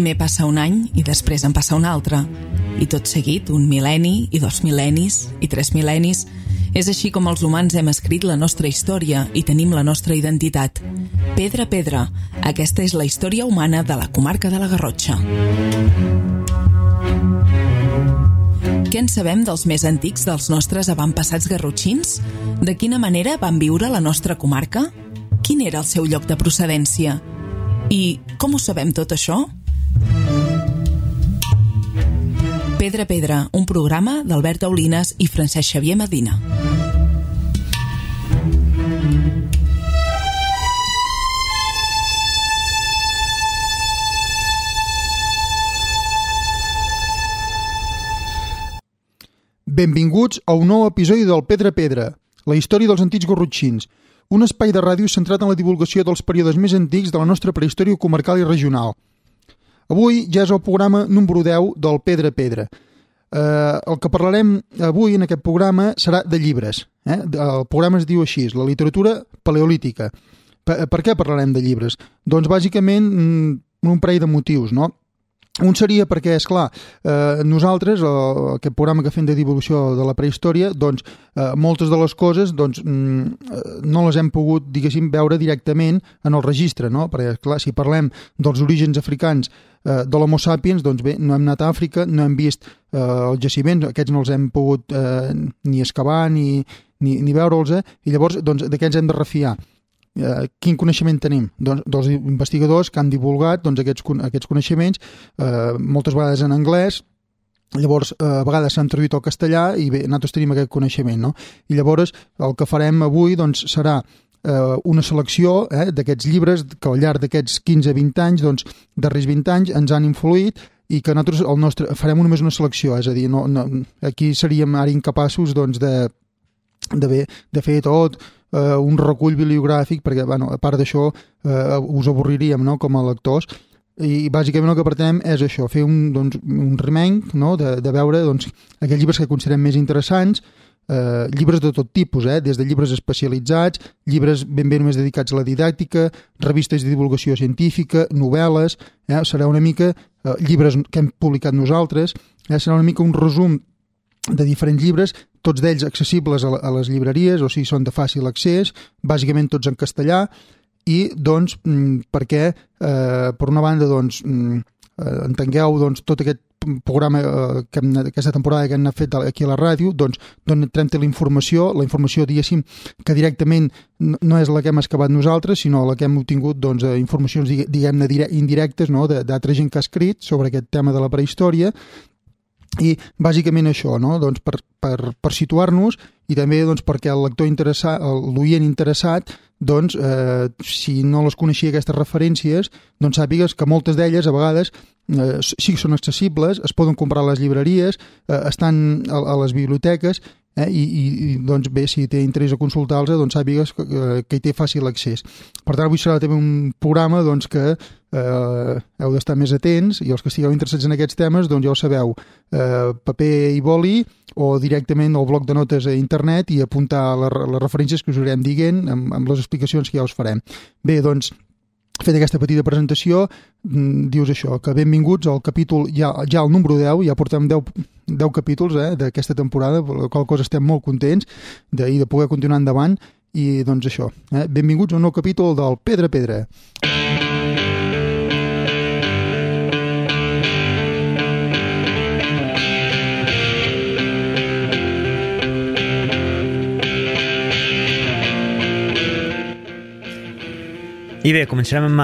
Primer passa un any i després en passa un altre. I tot seguit, un mil·lenni, i 2 mil·lennis, i 3 mil·lennis. És així com els humans hem escrit la nostra història i tenim la nostra identitat. Pedra a pedra, aquesta és la història humana de la comarca de la Garrotxa. Què en sabem dels més antics dels nostres avantpassats garrotxins? De quina manera van viure la nostra comarca? Quin era el seu lloc de procedència? I com ho sabem tot això? Pedra a pedra, un programa d'Albert Aulines i Francesc Xavier Medina. Benvinguts a un nou episodi del Pedra a pedra, la història dels antics garrotxins, un espai de ràdio centrat en la divulgació dels períodes més antics de la nostra prehistòria comarcal i regional. Avui ja és el programa número 10 del Pedra a pedra. El que parlarem avui en aquest programa serà de llibres. El programa es diu així, la literatura paleolítica. Per què parlarem de llibres? Doncs bàsicament un parell de motius, no? Un seria perquè, esclar, nosaltres, aquest programa que fem de divulgació de la prehistòria, doncs moltes de les coses doncs, no les hem pogut, diguéssim, veure directament en el registre, no? Perquè, esclar, si parlem dels orígens africans de l'Homo sapiens, doncs bé, no hem anat a Àfrica, no hem vist els jaciments, aquests no els hem pogut ni excavar ni veure'ls, i llavors doncs, de què ens hem de refiar? Quin coneixement tenim? Doncs dels investigadors que han divulgat doncs, aquests coneixements, moltes vegades en anglès, llavors a vegades s'han traduït al castellà i bé, nosaltres tenim aquest coneixement, no? I llavors el que farem avui doncs, serà una selecció d'aquests llibres que al llarg d'aquests 15-20 anys, doncs, darrers 20 anys, ens han influït i que nosaltres farem només una selecció, és a dir, aquí seríem ara incapaços doncs, de fer tot un recull bibliogràfic, perquè bueno, a part d'això us avorriríem, no?, com a lectors, i bàsicament el que pretenem és això, fer un remenc, no?, de veure doncs, aquells llibres que considerem més interessants, llibres de tot tipus, des de llibres especialitzats, llibres ben bé només dedicats a la didàctica, revistes de divulgació científica, novel·les, serà una mica llibres que hem publicat nosaltres, serà una mica un resum de diferents llibres, tots d'ells accessibles a les llibreries, o sigui, són de fàcil accés, bàsicament tots en castellà, i doncs perquè, per una banda, doncs, entengueu doncs, tot aquest programa, aquesta temporada que hem fet aquí a la ràdio, doncs entrem la informació, diguéssim, que directament no és la que hem excavat nosaltres, sinó la que hem obtingut doncs, informacions, diguem-ne, indirectes, no?, d'altra gent que ha escrit sobre aquest tema de la prehistòria, i bàsicament això, no?, doncs per situar-nos i també doncs, perquè el lector interessat, l'oient interessat, doncs, si no les coneixia aquestes referències, doncs sàpigues que moltes d'elles a vegades sí que són accessibles, es poden comprar a les llibreries, estan a les biblioteques, i doncs bé, si té interès a consultar-los, doncs sàpigues que hi té fàcil accés. Per tant, avui serà també un programa doncs, que heu d'estar més atents, i els que estigueu interessats en aquests temes, doncs ja ho sabeu, paper i boli, o directament al bloc de notes a internet i apuntar les referències que us anirem dient amb les explicacions que ja us farem. Bé, doncs, fet aquesta petita presentació, dius això, que benvinguts al capítol, ja al número 10, ja portem 10 capítols d'aquesta temporada, per la qual cosa estem molt contents i de poder continuar endavant, i doncs això, benvinguts a un nou capítol del Pedra a pedra. I bé, començarem amb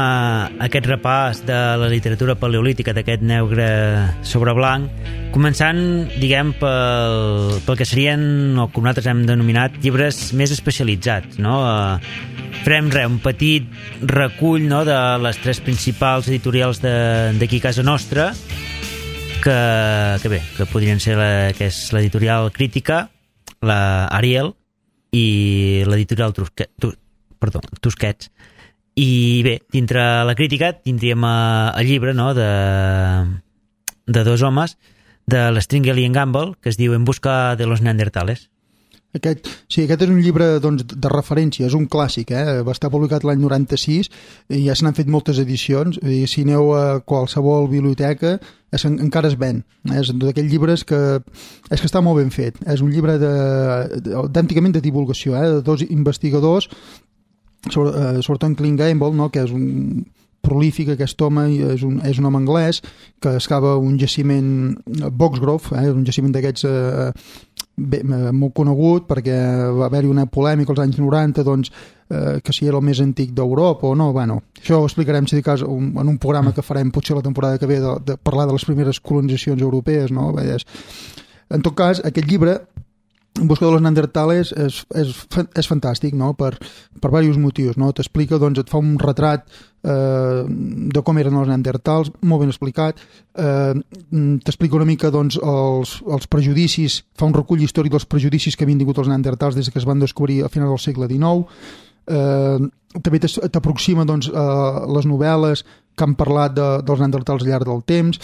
aquest repàs de la literatura paleolítica, d'aquest negre sobre blanc, començant, diguem, pel que serien, o com nosaltres hem denominat, llibres més especialitzats, no? Farem un petit recull, no?, de les 3 principals editorials d'aquí a casa nostra, que podrien ser que és l'editorial Crítica, la Ariel i l'editorial Tusquets. I bé, dintre la crítica tindríem el llibre, no?, de 2 homes, de l'Stringley i en Gamble, que es diu En busca de los neandertales. Aquest és un llibre doncs, de referència, és un clàssic, va estar publicat l'any 96 i ja se n'han fet moltes edicions. Si aneu a qualsevol biblioteca encara es ven. És d'aquells llibres que està molt ben fet. És un llibre d'antigament de divulgació, de dos investigadors, sobretot en Clint Gamble, no? Que és un prolífic, aquest home és un home anglès que excava un jaciment Boxgrove, un jaciment d'aquests molt conegut perquè va haver-hi una polèmica als anys 90 doncs, que si era el més antic d'Europa o no, bueno, això ho explicarem si de cas en un programa que farem potser la temporada que ve de parlar de les primeres colonitzacions europees, no? En tot cas, aquest llibre En busca de los neandertales és fantàstic, no? Per diversos motius, no? T'explica, doncs, et fa un retrat de com eren els neandertals, molt ben explicat, t'explica una mica, doncs, els prejudicis, fa un recull històric dels prejudicis que havien tingut els neandertals des que es van descobrir a finals del segle XIX, també t'aproxima, doncs, les novel·les que han parlat dels neandertals al llarg del temps,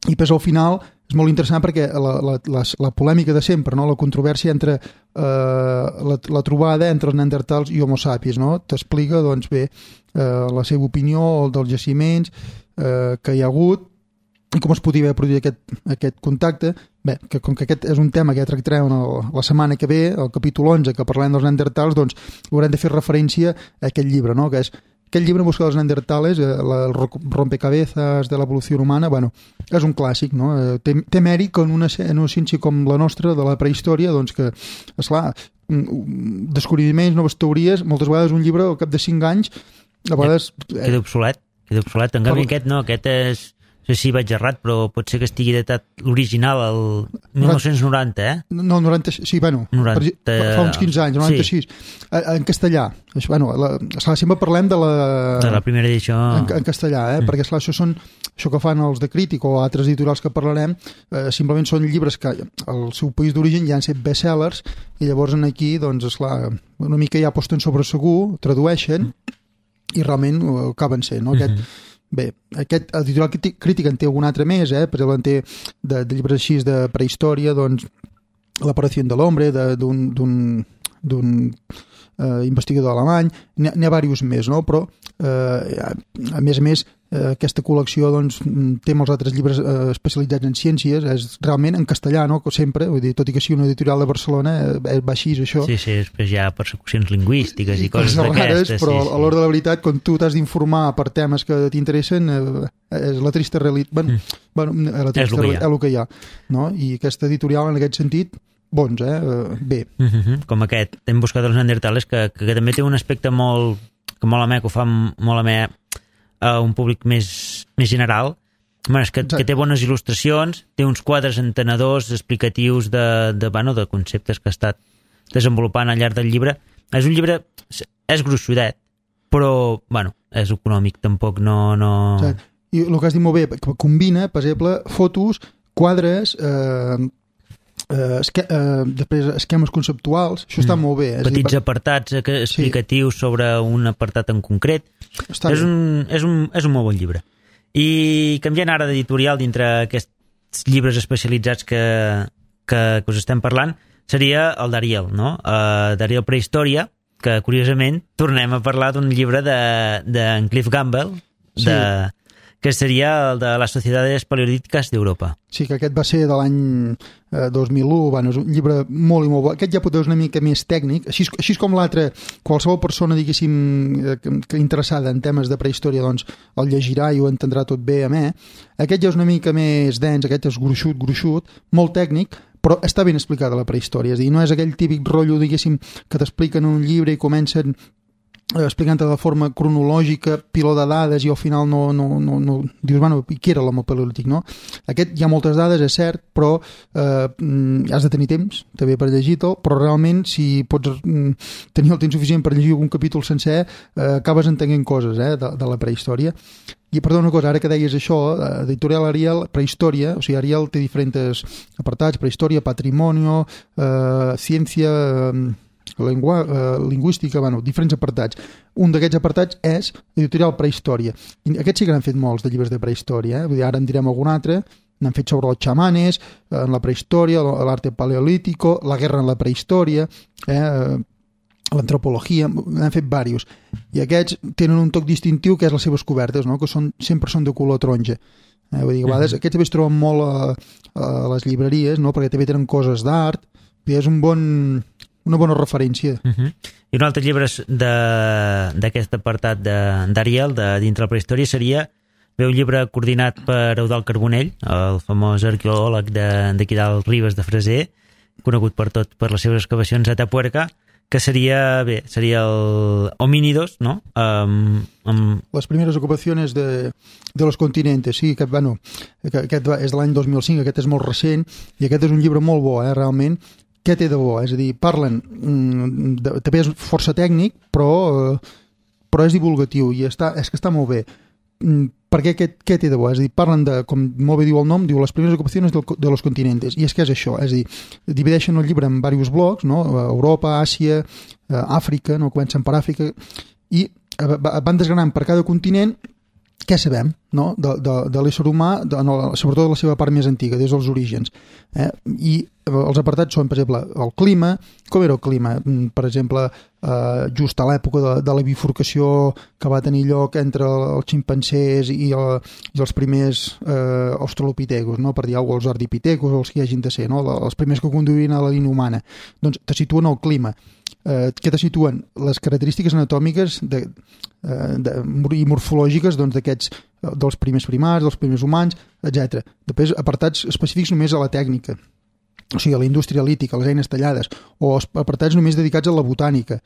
i després al final és molt interessant perquè la polèmica de sempre, no? La controvèrsia entre la trobada entre els neandertals i Homo sapiens, no? T'explica, doncs bé, la seva opinió dels jaciments que hi ha hagut i com es podia haver produït aquest contacte. Bé, que com que aquest és un tema que ja tractarem la setmana que ve, el capítol 11, que parlem dels neandertals, doncs haurem de fer referència a aquest llibre, no? Que és aquest llibre, En busca dels neandertales, el rompecabezas de l'evolució humana, bueno, és un clàssic, no? Té mèrit que en una ciència com la nostra, de la prehistòria, doncs que, esclar, descobriments, noves teories, moltes vegades un llibre al cap de 5 anys, a vegades... Queda obsolet. En canvi aquest no, aquest és... No sé si vaig errat, però pot ser que estigui datat l'original al 1990, eh? No, 90, sí, bueno, 90, fa uns 15 anys, 96. Sí. En castellà. Bueno, sempre parlem de la primera edició. En castellà, perquè esclar, això que fan els de Crític o altres editorials que parlarem, simplement són llibres que al seu país d'origen ja han set bestsellers i llavors aquí, doncs, esclar, una mica ja posten sobre segur, tradueixen i realment acaben sent, no? Bé, aquest editorial Crític en té algun altre més, per exemple en té de llibres així de prehistòria, doncs l'aparició de l'hombre d'un investigador alemany, n'hi ha diversos més, no? Però a més aquesta col·lecció doncs, té molts altres llibres especialitzats en ciències, és realment en castellà, no? Sempre, vull dir, tot i que sigui una editorial de Barcelona va així, això. Sí, després hi ha persecucions lingüístiques i coses d'aquestes. Però a l'hora de la veritat, quan tu t'has d'informar per temes que t'interessen, és la trista realitat. És el que hi ha, no? I aquesta editorial, en aquest sentit, bons, bé. Com aquest, hem buscat els neandertales, que també té un aspecte molt amè, que ho fa molt amè a un públic més general. És que té bones il·lustracions, té uns quadres entenedors explicatius de conceptes que ha estat desenvolupant al llarg del llibre. És un llibre, és gruixudet, però, és econòmic, tampoc no... I el que has dit molt bé, que combina, per exemple, fotos, quadres... després esquemes conceptuals, això està molt bé. Petits apartats explicatius sobre un apartat en concret. És un molt bon llibre. I canviant ara d'editorial dintre aquests llibres especialitzats que us estem parlant, seria el d'Ariel, no? D'Ariel Prehistòria, que curiosament tornem a parlar d'un llibre d'en Cliff Gamble, que seria el de les Sociedades Paleolítiques d'Europa. Sí, que aquest va ser de l'any 2001, és un llibre molt i molt bo. Aquest ja potser és una mica més tècnic, així com l'altre, qualsevol persona, diguéssim, que interessada en temes de prehistòria, doncs el llegirà i ho entendrà tot bé a mi. Aquest ja és una mica més dens, aquest és gruixut, molt tècnic, però està ben explicada la prehistòria, és a dir, no és aquell típic rotllo, diguéssim, que t'expliquen un llibre i comencen explicant-te de forma cronològica, piló de dades, i al final no dius, què era l'home paleolític, no? Aquest hi ha moltes dades, és cert, però has de tenir temps també per llegir-te'l, però realment si pots tenir el temps suficient per llegir un capítol sencer, acabes entenent coses de la prehistòria. I perdó una cosa, ara que deies això, editorial Ariel, prehistòria, o sigui, Ariel té diferents apartats, prehistòria, patrimonio, ciència... lingüística, diferents apartats. Un d'aquests apartats és editorial prehistòria. I aquests sí que n'han fet molts de llibres de prehistòria, vull dir, ara en direm algun altre, n'han fet sobre els xamanes, en la prehistòria, l'arte paleolítico, la guerra en la prehistòria, l'antropologia, n'han fet diversos. I aquests tenen un toc distintiu que és les seves cobertes, no? Que sempre són de color taronja. Vull dir, a vegades aquests també es troben molt a les llibreries, no? Perquè també tenen coses d'art, i és una bona referència. I un altre llibre d'aquest apartat d'Ariel, de dintre la prehistòria, seria un llibre coordinat per Eudald Carbonell, el famós arqueòleg d'aquí dalt Ribes de Freser, conegut per les seves excavacions a Atapuerca, que seria el Homínidos, no? Les primeres ocupacions de los continentes, sí, aquest és de l'any 2005, aquest és molt recent, i aquest és un llibre molt bo, realment. Què té de bo? És a dir, parlen, també és força tècnic, però és divulgatiu, i és que està molt bé. Per què té de bo? És a dir, parlen de, com molt bé diu el nom, diu les primeres ocupacions de los continentes, i és que és això, és a dir, divideixen el llibre en diversos blocs, no? Europa, Àsia, Àfrica, no? Comencen per Àfrica, i van desgranant per cada continent què sabem, no? de l'ésser humà, sobretot de la seva part més antiga, des dels orígens. I els apartats són, per exemple, el clima. Com era el clima? Per exemple, just a l'època de la bifurcació que va tenir lloc entre els ximpancers i els primers australopitecos, no? Per dir alguna cosa, els ardipitecos o els que hi hagin de ser, no? Els primers que conduïen a la línia humana. Doncs te situen el clima. Que te situen les característiques anatòmiques i morfològiques d'aquests, dels primers primats, dels primers humans, etc. Després apartats específics només a la tècnica, o sigui, a la indústria lítica, a les eines tallades, o apartats només dedicats a la botànica.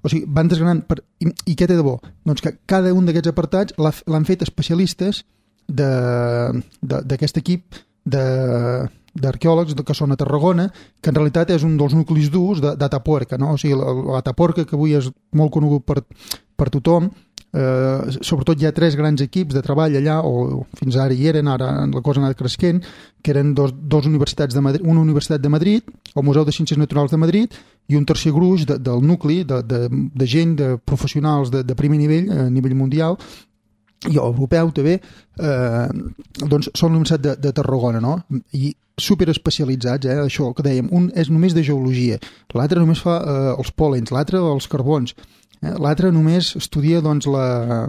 O sigui, van desgranant i què té de bo? Doncs que cada un d'aquests apartats l'han fet especialistes d'aquest equip d'arqueòlegs que són a Tarragona, que en realitat és un dels nuclis durs d'Atapuerca, no? O sigui, l'Atapuerca, que avui és molt conegut per tothom, sobretot hi ha 3 grans equips de treball allà, o fins ara hi eren, ara la cosa ha anat cresquent, que eren dos universitats de Madrid, una universitat de Madrid, el Museu de Ciències Naturals de Madrid, i un tercer gruix del nucli de gent, de professionals de primer nivell, a nivell mundial, i europeu també, doncs són la Universitat de Tarragona, no? I superespecialitzats, això que dèiem, un és només de geologia, l'altre només fa els pòlens, l'altre els carbons, l'altre només estudia doncs les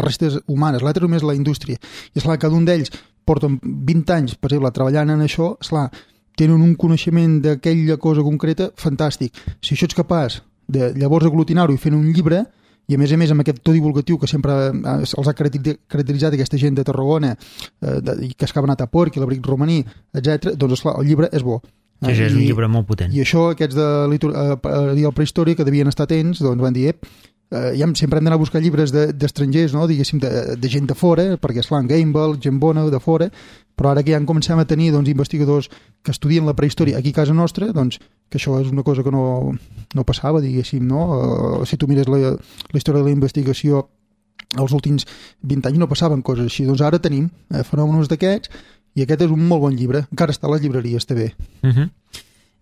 restes humanes, l'altre només la indústria, i esclar, cada un d'ells porten 20 anys, per exemple, treballant en això, esclar, tenen un coneixement d'aquella cosa concreta fantàstic. Si això ets capaç de llavors aglutinar-ho i fer un llibre, i a més amb aquest to divulgatiu que sempre els ha caracteritzat aquesta gent de Tarragona, i que excaven a Atapuerca, l'abric romaní, etc., doncs esclar, el llibre és bo. Sí, és un llibre molt potent. I això, aquests de prehistòria, que devien estar atents, doncs van dir, ja sempre hem d'anar a buscar llibres d'estrangers, no? Diguéssim, de gent de fora, perquè esclar, en Gamble, gent bona de fora, però ara que ja en comencem a tenir investigadors que estudien la prehistòria aquí a casa nostra, doncs que això és una cosa que no passava, diguéssim, no? Si tu mires la història de la investigació els últims 20 anys no passaven coses així, doncs ara tenim fenòmenos d'aquests, i aquest és un molt bon llibre, encara està a les llibreries també.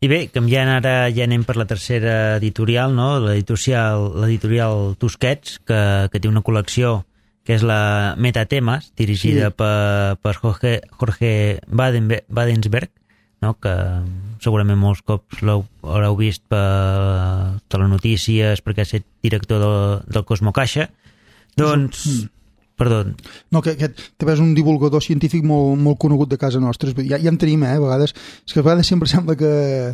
I bé, canviant ara ja anem per la tercera editorial, no? L'editorial Tusquets, que té una col·lecció que és la Metatemes, dirigida per Jorge Wadensberg, no? Que segurament molts cops l'haureu vist per telenotícies, perquè ha estat director del Cosmocaixa. Doncs... Perdó. No, que també és un divulgador científic molt conegut de casa nostra. Ja en tenim, a vegades. És que a vegades sempre sembla que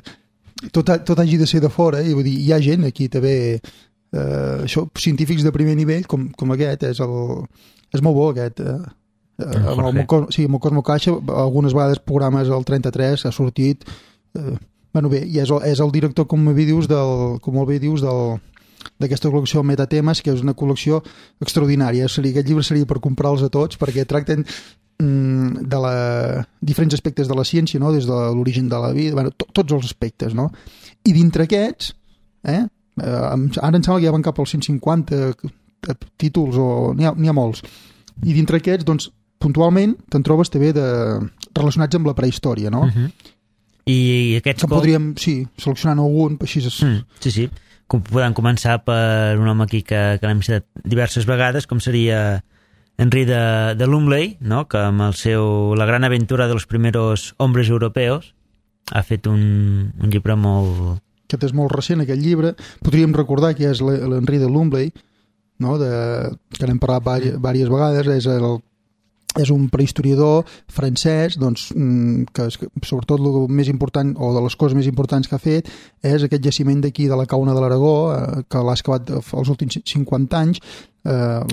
tot hagi de ser de fora, i vull dir, hi ha gent aquí també, científics de primer nivell, com aquest, és molt bo aquest. Amb el Cosmocaixa, algunes vegades programes al 33 ha sortit, bueno bé, i és el director, com molt bé dius, d'aquesta col·lecció Metatemes, que és una col·lecció extraordinària. Aquest llibre seria per comprar-los a tots, perquè tracten de diferents aspectes de la ciència, no? Des de l'origen de la vida, tots els aspectes, no? I dintre aquests, ara em sembla que ja van cap als 150 títols, o n'hi ha molts, i dintre aquests, doncs, puntualment te'n trobes també relacionats amb la prehistòria, no? I aquests... Que podríem, seleccionar algun, així és... Sí. Podem començar per un home aquí que l'hem citat diverses vegades, com seria Henry de Lumley, no? Que amb la gran aventura de los primeros hombres europeos ha fet un llibre molt... Aquest és molt recent, aquest llibre. Podríem recordar que és l'Henry de Lumley, no? Que n'hem parlat diverses vegades, és un prehistoriador francès, doncs, que sobretot el més important, o de les coses més importants que ha fet, és aquest jaciment d'aquí de la Cauna de l'Aragó, que l'ha excavat els últims 50 anys, a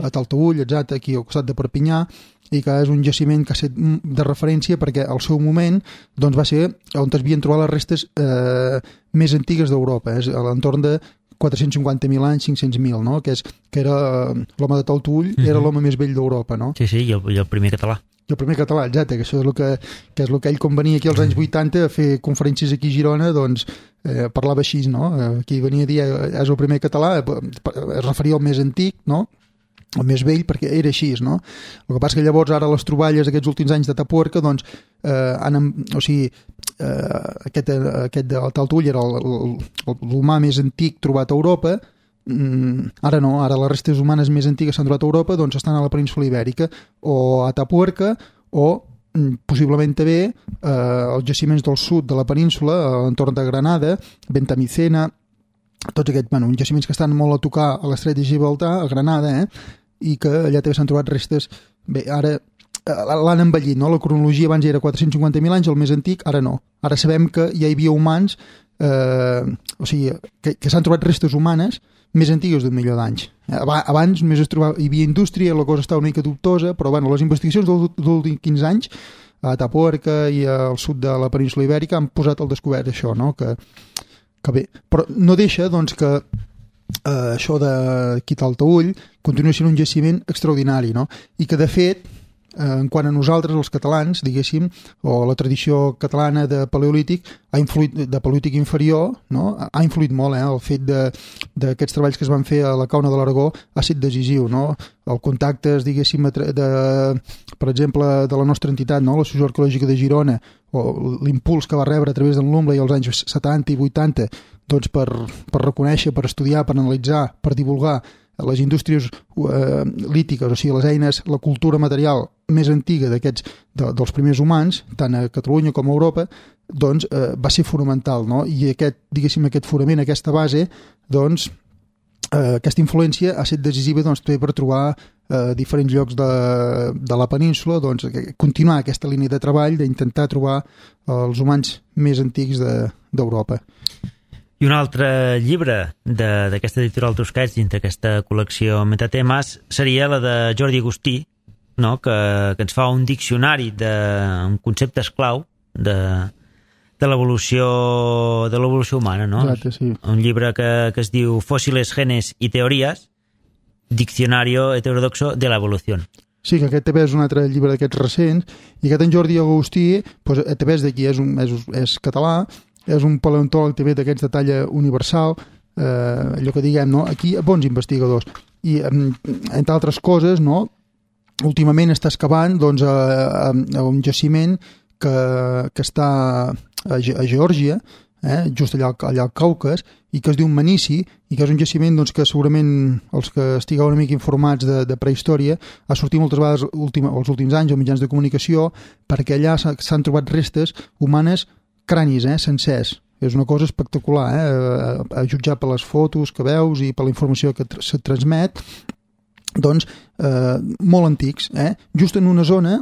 Taltaüll, exacte, aquí al costat de Perpinyà, i que és un jaciment que ha estat de referència perquè al seu moment doncs, va ser on es havien trobat les restes més antigues d'Europa, és a l'entorn de 450.000 anys, 500.000, no? Que era l'home de Taltaüll, era l'home més vell d'Europa, no? Sí, i el primer català. I el primer català, exacte, que això és el que ell, quan venia aquí als anys 80 a fer conferències aquí a Girona, doncs parlava així, no? Aquí venia a dir, és el primer català, es referia al més antic, no? El més vell, perquè era així, no? El que passa que llavors ara les troballes d'aquests últims anys de Tapuerca, doncs, aquest de Taltaüll era l'humà més antic trobat a Europa, ara no, ara les restes humanes més antigues s'han trobat a Europa, doncs estan a la península Ibèrica, o a Tapuerca, o possiblement també els jaciments del sud de la península, a l'entorn de Granada, Bentamicena, tots aquests, uns jaciments que estan molt a tocar a l'estret de Gibraltar, a Granada, i que allà també s'han trobat restes. Bé, ara l'han envellit, no? La cronologia abans era 450.000 anys, el més antic, ara no. Ara sabem que ja hi havia humans, que s'han trobat restes humanes més antigues d'un milió d'anys. Abans només hi havia indústria, la cosa estava una mica dubtosa, però bueno, les investigacions dels últims 15 anys a Tapuerca i al sud de la península Ibèrica han posat al descobert això, no? Que bé, però no deixa doncs, que això d'aquí Taltaüll continua sent un jaciment extraordinari, no? I que de fet en quant a nosaltres, els catalans, diguéssim, o la tradició catalana de paleolític, de paleolític inferior, no? Ha influït molt, el fet d'aquests treballs que es van fer a la Cauna de l'Aragó ha estat decisiu, no? El contacte, diguéssim, per exemple, de la nostra entitat, no? L'Associació Arqueològica de Girona, o l'impuls que va rebre a través del Lumley als anys 70 i 80, doncs per reconèixer, per estudiar, per analitzar, per divulgar les indústries lítiques, o sigui, les eines, la cultura material més antiga dels primers humans, tant a Catalunya com a Europa, doncs va ser fonamental, no? I aquest fonament, aquesta base, doncs aquesta influència ha estat decisiva doncs, per trobar diferents llocs de la península, doncs continuar aquesta línia de treball d'intentar trobar els humans més antics d'Europa. I un altre llibre d'aquesta editorial Tusquets dins d'aquesta col·lecció Metatemes seria la de Jordi Agustí, no? que ens fa un diccionari amb conceptes clau de l'evolució humana, no? Exacte, sí. Un llibre que es diu Fósiles, Genes y Teorías, Diccionario Heterodoxo de la Evolución. Sí, que aquest també és un altre llibre d'aquests recents, i aquest en Jordi Agustí doncs, també és d'aquí, és català, és un paleontòleg també d'aquests de talla universal, allò que diguem, no? Aquí bons investigadors. I, entre altres coses, no? Últimament està excavant doncs, a un jaciment que està a Geòrgia, just allà al Caucas, i que es diu Manici, i que és un jaciment doncs, que segurament els que estigueu una mica informats de prehistòria ha sortit moltes vegades els últims anys als mitjans de comunicació, perquè allà s'han trobat restes humanes, cranis, sencers. És una cosa espectacular, a jutjar per les fotos que veus i per la informació que se transmet, doncs molt antics, just en una zona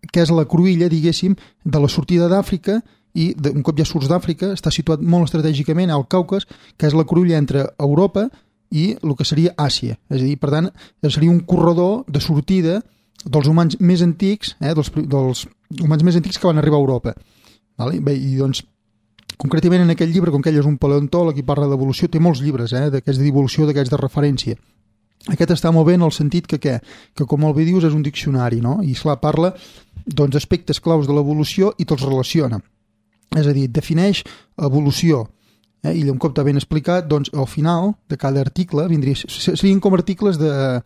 que és la cruïlla, diguéssim, de la sortida d'Àfrica, i un cop ja surts d'Àfrica està situat molt estratègicament al Caucas, que és la cruïlla entre Europa i el que seria Àsia. És a dir, per tant, seria un corredor de sortida dels humans més antics, dels humans més antics que van arribar a Europa. Vale? Bé, i doncs, concretament en aquest llibre, com que ell és un paleontòleg i parla d'evolució, té molts llibres d'aquests d'evolució, d'aquests de referència. Aquest està molt bé en el sentit que com molt bé dius, és un diccionari, no? I esclar, parla doncs, aspectes claus de l'evolució i te'ls relaciona. És a dir, defineix evolució I un cop t'ha ben explicat, doncs al final de cada article serien com articles de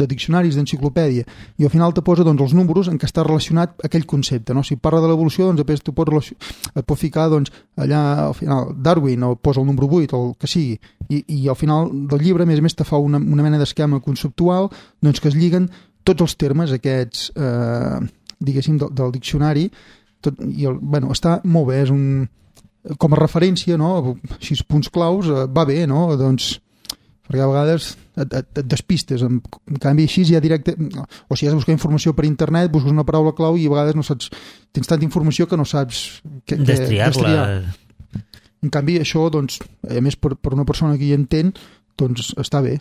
diccionaris, d'enciclopèdia, i al final te posa doncs, els números en què està relacionat aquell concepte, no? Si parla de l'evolució, doncs després et pot ficar doncs, allà al final Darwin, o posa el número 8 o el que sigui, i al final del llibre a més te fa una mena d'esquema conceptual doncs, que es lliguen tots els termes aquests diguéssim del diccionari està molt bé, és com a referència, no? 6 punts claus, va bé, no? Doncs, perquè a vegades et despistes, en canvi així ja directe, o si has de buscar informació per internet, busques una paraula clau i a vegades no saps, tens tanta informació que no saps destriar-la. En canvi això, doncs, a més per una persona que hi entén, doncs està bé.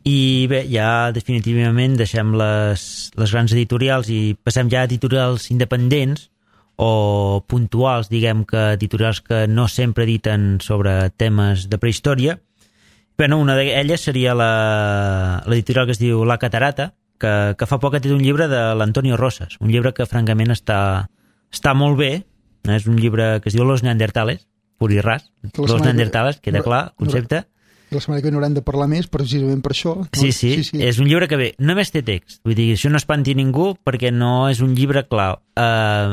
I bé, ja definitivament deixem les grans editorials i passem ja a editorials independents o puntuals, diguem que editorials que no sempre editen sobre temes de prehistòria. Bueno, una d'elles seria l'editorial que es diu La Catarata, que fa poc ha tret un llibre de l'Antonio Rosas, un llibre que francament està molt bé, és un llibre que es diu Los Neandertales, pur i ras, Los Neandertales, queda clar, concepte. La setmana que n'haurem de parlar més precisament per això. No? Sí, és un llibre que bé, només té text, vull dir, això no espanti ningú perquè no és un llibre clar,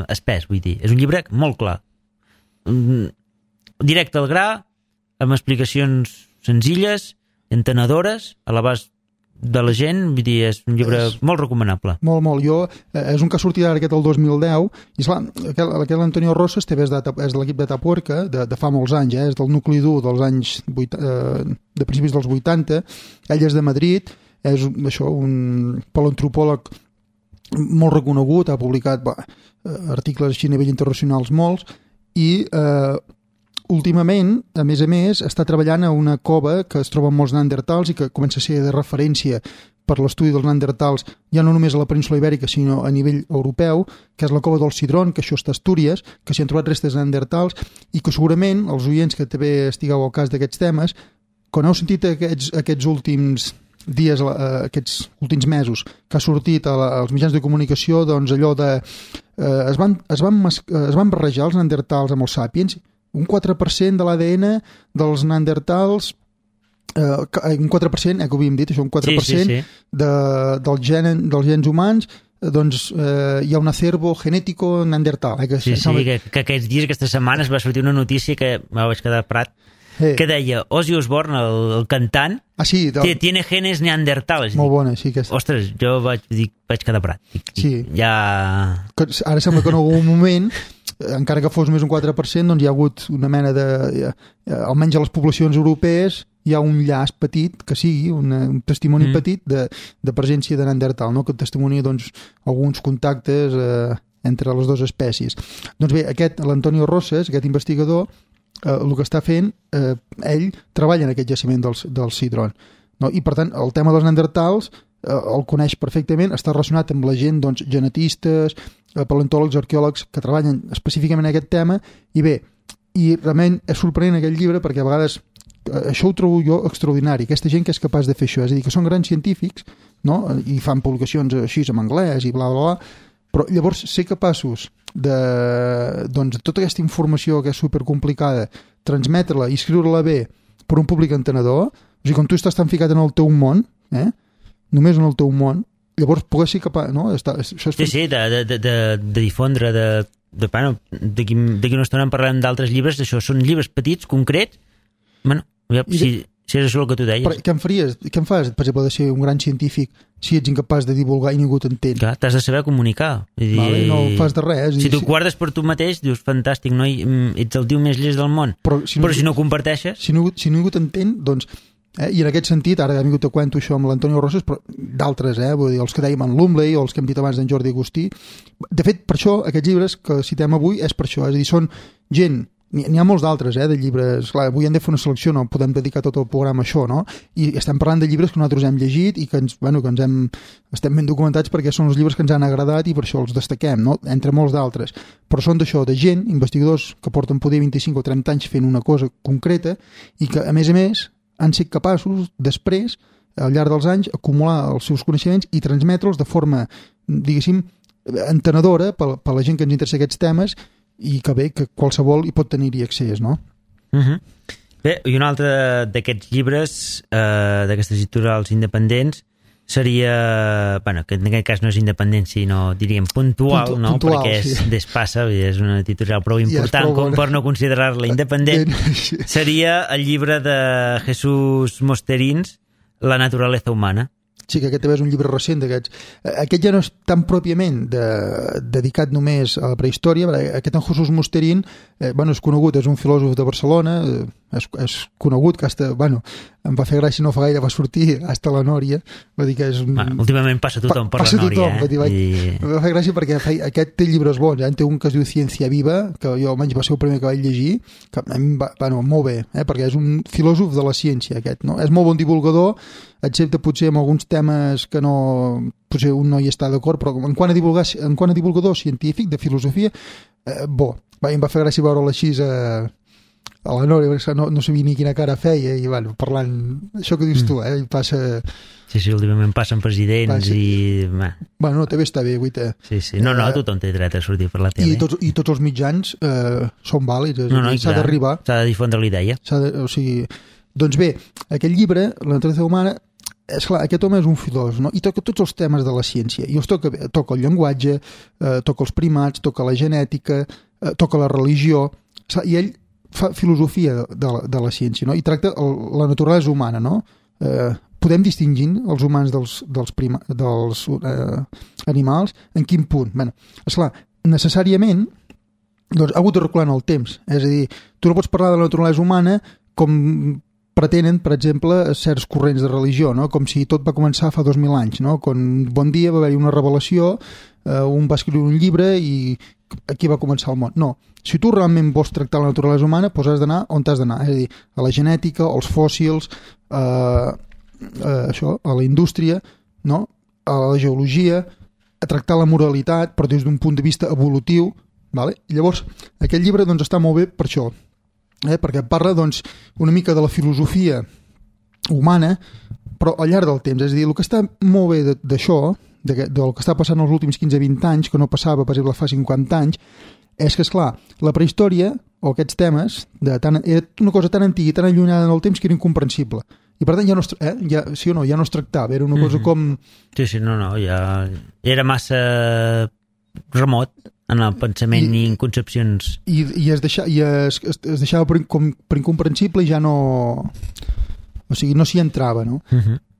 espès, vull dir, és un llibre molt clar, directe al gra, amb explicacions senzilles, entenedores, a l'abast de la gent, vull dir, és un llibre molt recomanable. Molt. És un que ha sortit ara aquest el 2010, i esclar, aquest Antonio Rosas també és de l'equip de Tapuerca, de fa molts anys, és del nucli dur dels anys de principis dels 80, ell és de Madrid, és un paleoantropòleg molt reconegut, ha publicat articles així a nivell internacionals molts, i últimament, a més, està treballant a una cova que es troba amb molts neandertals i que comença a ser de referència per l'estudi dels neandertals, ja no només a la península Ibèrica, sinó a nivell europeu, que és la cova del Cidrón, que això està a Astúries, que s'hi han trobat restes neandertals i que segurament els oients que també estigueu al cas d'aquests temes, quan heu sentit aquests últims dies, aquests últims mesos, que ha sortit als mitjans de comunicació, doncs allò de... es van barrejar els neandertals amb els sàpiens, un 4% de l'ADN dels neandertals, un 4%, que ho havíem dit, això, un 4% dels gens humans, doncs hi ha un acervo genètico neandertal. Que aquests dies, aquestes setmanes, va sortir una notícia que me vaig quedar prat, que deia Ozzy Osbourne, el cantant, tiene genes neandertals. Molt bona, sí. Ostres, jo vaig quedar prat. Ja... Ara sembla que en algun moment, encara que fos més un 4%, doncs hi ha hagut una mena de... almenys a les poblacions europees hi ha un llaç petit, que sigui un testimoni petit de presència de neandertal, no? Que testimonia doncs, alguns contactes entre les dues espècies. Doncs bé, l'Antonio Rosas, aquest investigador, el que està fent, ell treballa en aquest jaciment del Cidrón, no? I per tant el tema dels neandertals el coneix perfectament, està relacionat amb la gent, doncs, genetistes, paleontòlegs, arqueòlegs que treballen específicament en aquest tema, i bé, i realment és sorprenent aquest llibre perquè a vegades això ho trobo jo extraordinari, aquesta gent que és capaç de fer això, és a dir, que són grans científics, no? I fan publicacions així en anglès i bla bla bla, però llavors ser capaços de, doncs, tota aquesta informació que és supercomplicada, transmetre-la i escriure-la bé per un públic entenedor, o sigui, quan tu estàs tan ficat en el teu món, només en el teu món, llavors pogués ser capaç, no? De difondre, d'aquí una estona en parlem d'altres llibres, això són llibres petits, concrets, bueno, si és això el que tu deies. Què em fas, per exemple, de ser un gran científic si ets incapaç de divulgar i ningú t'entén? Clar, t'has de saber comunicar. No fas de res. Si tu guardes per tu mateix, dius, fantàstic, no? Ets el tio més llest del món. Però si no comparteixes... Si ningú t'entén, doncs... I en aquest sentit, ara he vingut a cuento això amb l'Antonio Rosas, però d'altres, vull dir, els que dèiem en Lumley o els que hem dit abans d'en Jordi Agustí. De fet, per això, aquests llibres que citem avui és per això, és a dir, són gent, n'hi ha molts d'altres, de llibres, clar, avui hem de fer una selecció, no podem dedicar tot el programa a això, no? I estem parlant de llibres que nosaltres hem llegit i que estem ben documentats perquè són els llibres que ens han agradat i per això els destaquem, no? Entre molts d'altres. Però són d'això, de gent, investigadors que porten poder 25 o 30 anys fent una cosa concreta i que, a més, han sigut capaços, després, al llarg dels anys, acumular els seus coneixements i transmetre'ls de forma, diguéssim, entenedora per la gent que ens interessa aquests temes i que bé, que qualsevol hi pot tenir-hi accés, no? Bé, i un altre d'aquests llibres, d'aquestes editorials independents, seria, bueno, que en aquest cas no és independent, sinó, diríem, puntual, no? Puntual, perquè és Despasa, és una editorial prou important com per no considerar-la independent. Seria el llibre de Jesús Mosterins, La naturaleza humana. Sí, que aquest també és un llibre recent d'aquests. Aquest ja no és tan pròpiament dedicat només a la prehistòria, aquest en Jesús Mosterín, és conegut, és un filòsof de Barcelona, és conegut, que em va fer gràcia, no fa gaire va sortir hasta la Nòria, va dir que és últimament passa tothom per la Nòria. Em va fer gràcia perquè aquest té llibres bons, té un que es diu Ciència Viva, que jo almenys va ser el primer que vaig llegir, que a mi molt bé, perquè és un filòsof de la ciència aquest, no? És molt bon divulgador, excepte potser amb alguns temes que no, potser un no hi està d'acord, però en quant a divulgador científic de filosofia, em va fer gràcia veure-la així a la Nòria, perquè no sabia ni quina cara feia, i parlant, això que dius tu, i passa... Sí, últimament passen presidents i... també està bé, guaita. Sí. No, tothom té dret a sortir per la tele. I tots els mitjans són vàlids, s'ha d'arribar. S'ha de difondre la idea. Doncs bé, aquest llibre, La naturaleza humana, és clar, aquest home és un filòsof, no? I toca tots els temes de la ciència. I els toca el llenguatge, toca els primats, toca la genètica, toca la religió, i ell fa filosofia de la ciència, no? I tracta la naturalesa humana, no? Podem distingir els humans dels animals en quin punt? Esclar, necessàriament ha hagut de recular en el temps, és a dir, tu no pots parlar de la naturalesa humana com pretenen, per exemple, certs corrents de religió, no? Com si tot va començar fa 2.000 anys, no? Quan bon dia va haver-hi una revelació, un va escriure un llibre i aquí va començar el món. No, si tu realment vols tractar la naturalesa humana, doncs has d'anar on has d'anar, és a dir, a la genètica, als fòssils, a la indústria, no? A la geologia, a tractar la moralitat, però des d'un punt de vista evolutiu, vale? Llavors, aquest llibre està molt bé per això, perquè parla una mica de la filosofia humana, però al llarg del temps. És a dir, el que està molt bé d'això, del que està passant els últims 15-20 anys, que no passava, per exemple, fa 50 anys, és que, esclar, la prehistòria, o aquests temes, era una cosa tan antiga i tan allunyada en el temps que era incomprensible. I per tant ja no es tractava, era una cosa com... Sí, ja era massa remot en el pensament i en concepcions. I es deixava per incomprensible i ja no... O sigui, no s'hi entrava, no?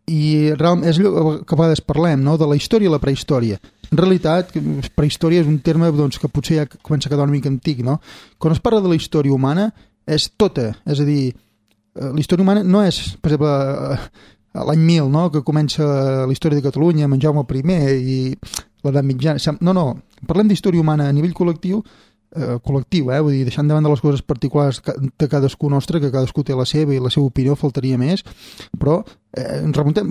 I realment és allò que a vegades parlem, no? De la història i la prehistòria. En realitat, prehistòria és un terme que potser ja comença a quedar una mica antic, no? Quan es parla de la història humana és tota, és a dir, la història humana no és, per exemple, l'any 1000, no? Que comença la història de Catalunya amb en Jaume I i l'edat mitjana. No, parlem d'història humana a nivell col·lectiu, vull dir, deixant de banda les coses particulars de cadascú nostre, que cadascú té la seva i la seva opinió, faltaria més, però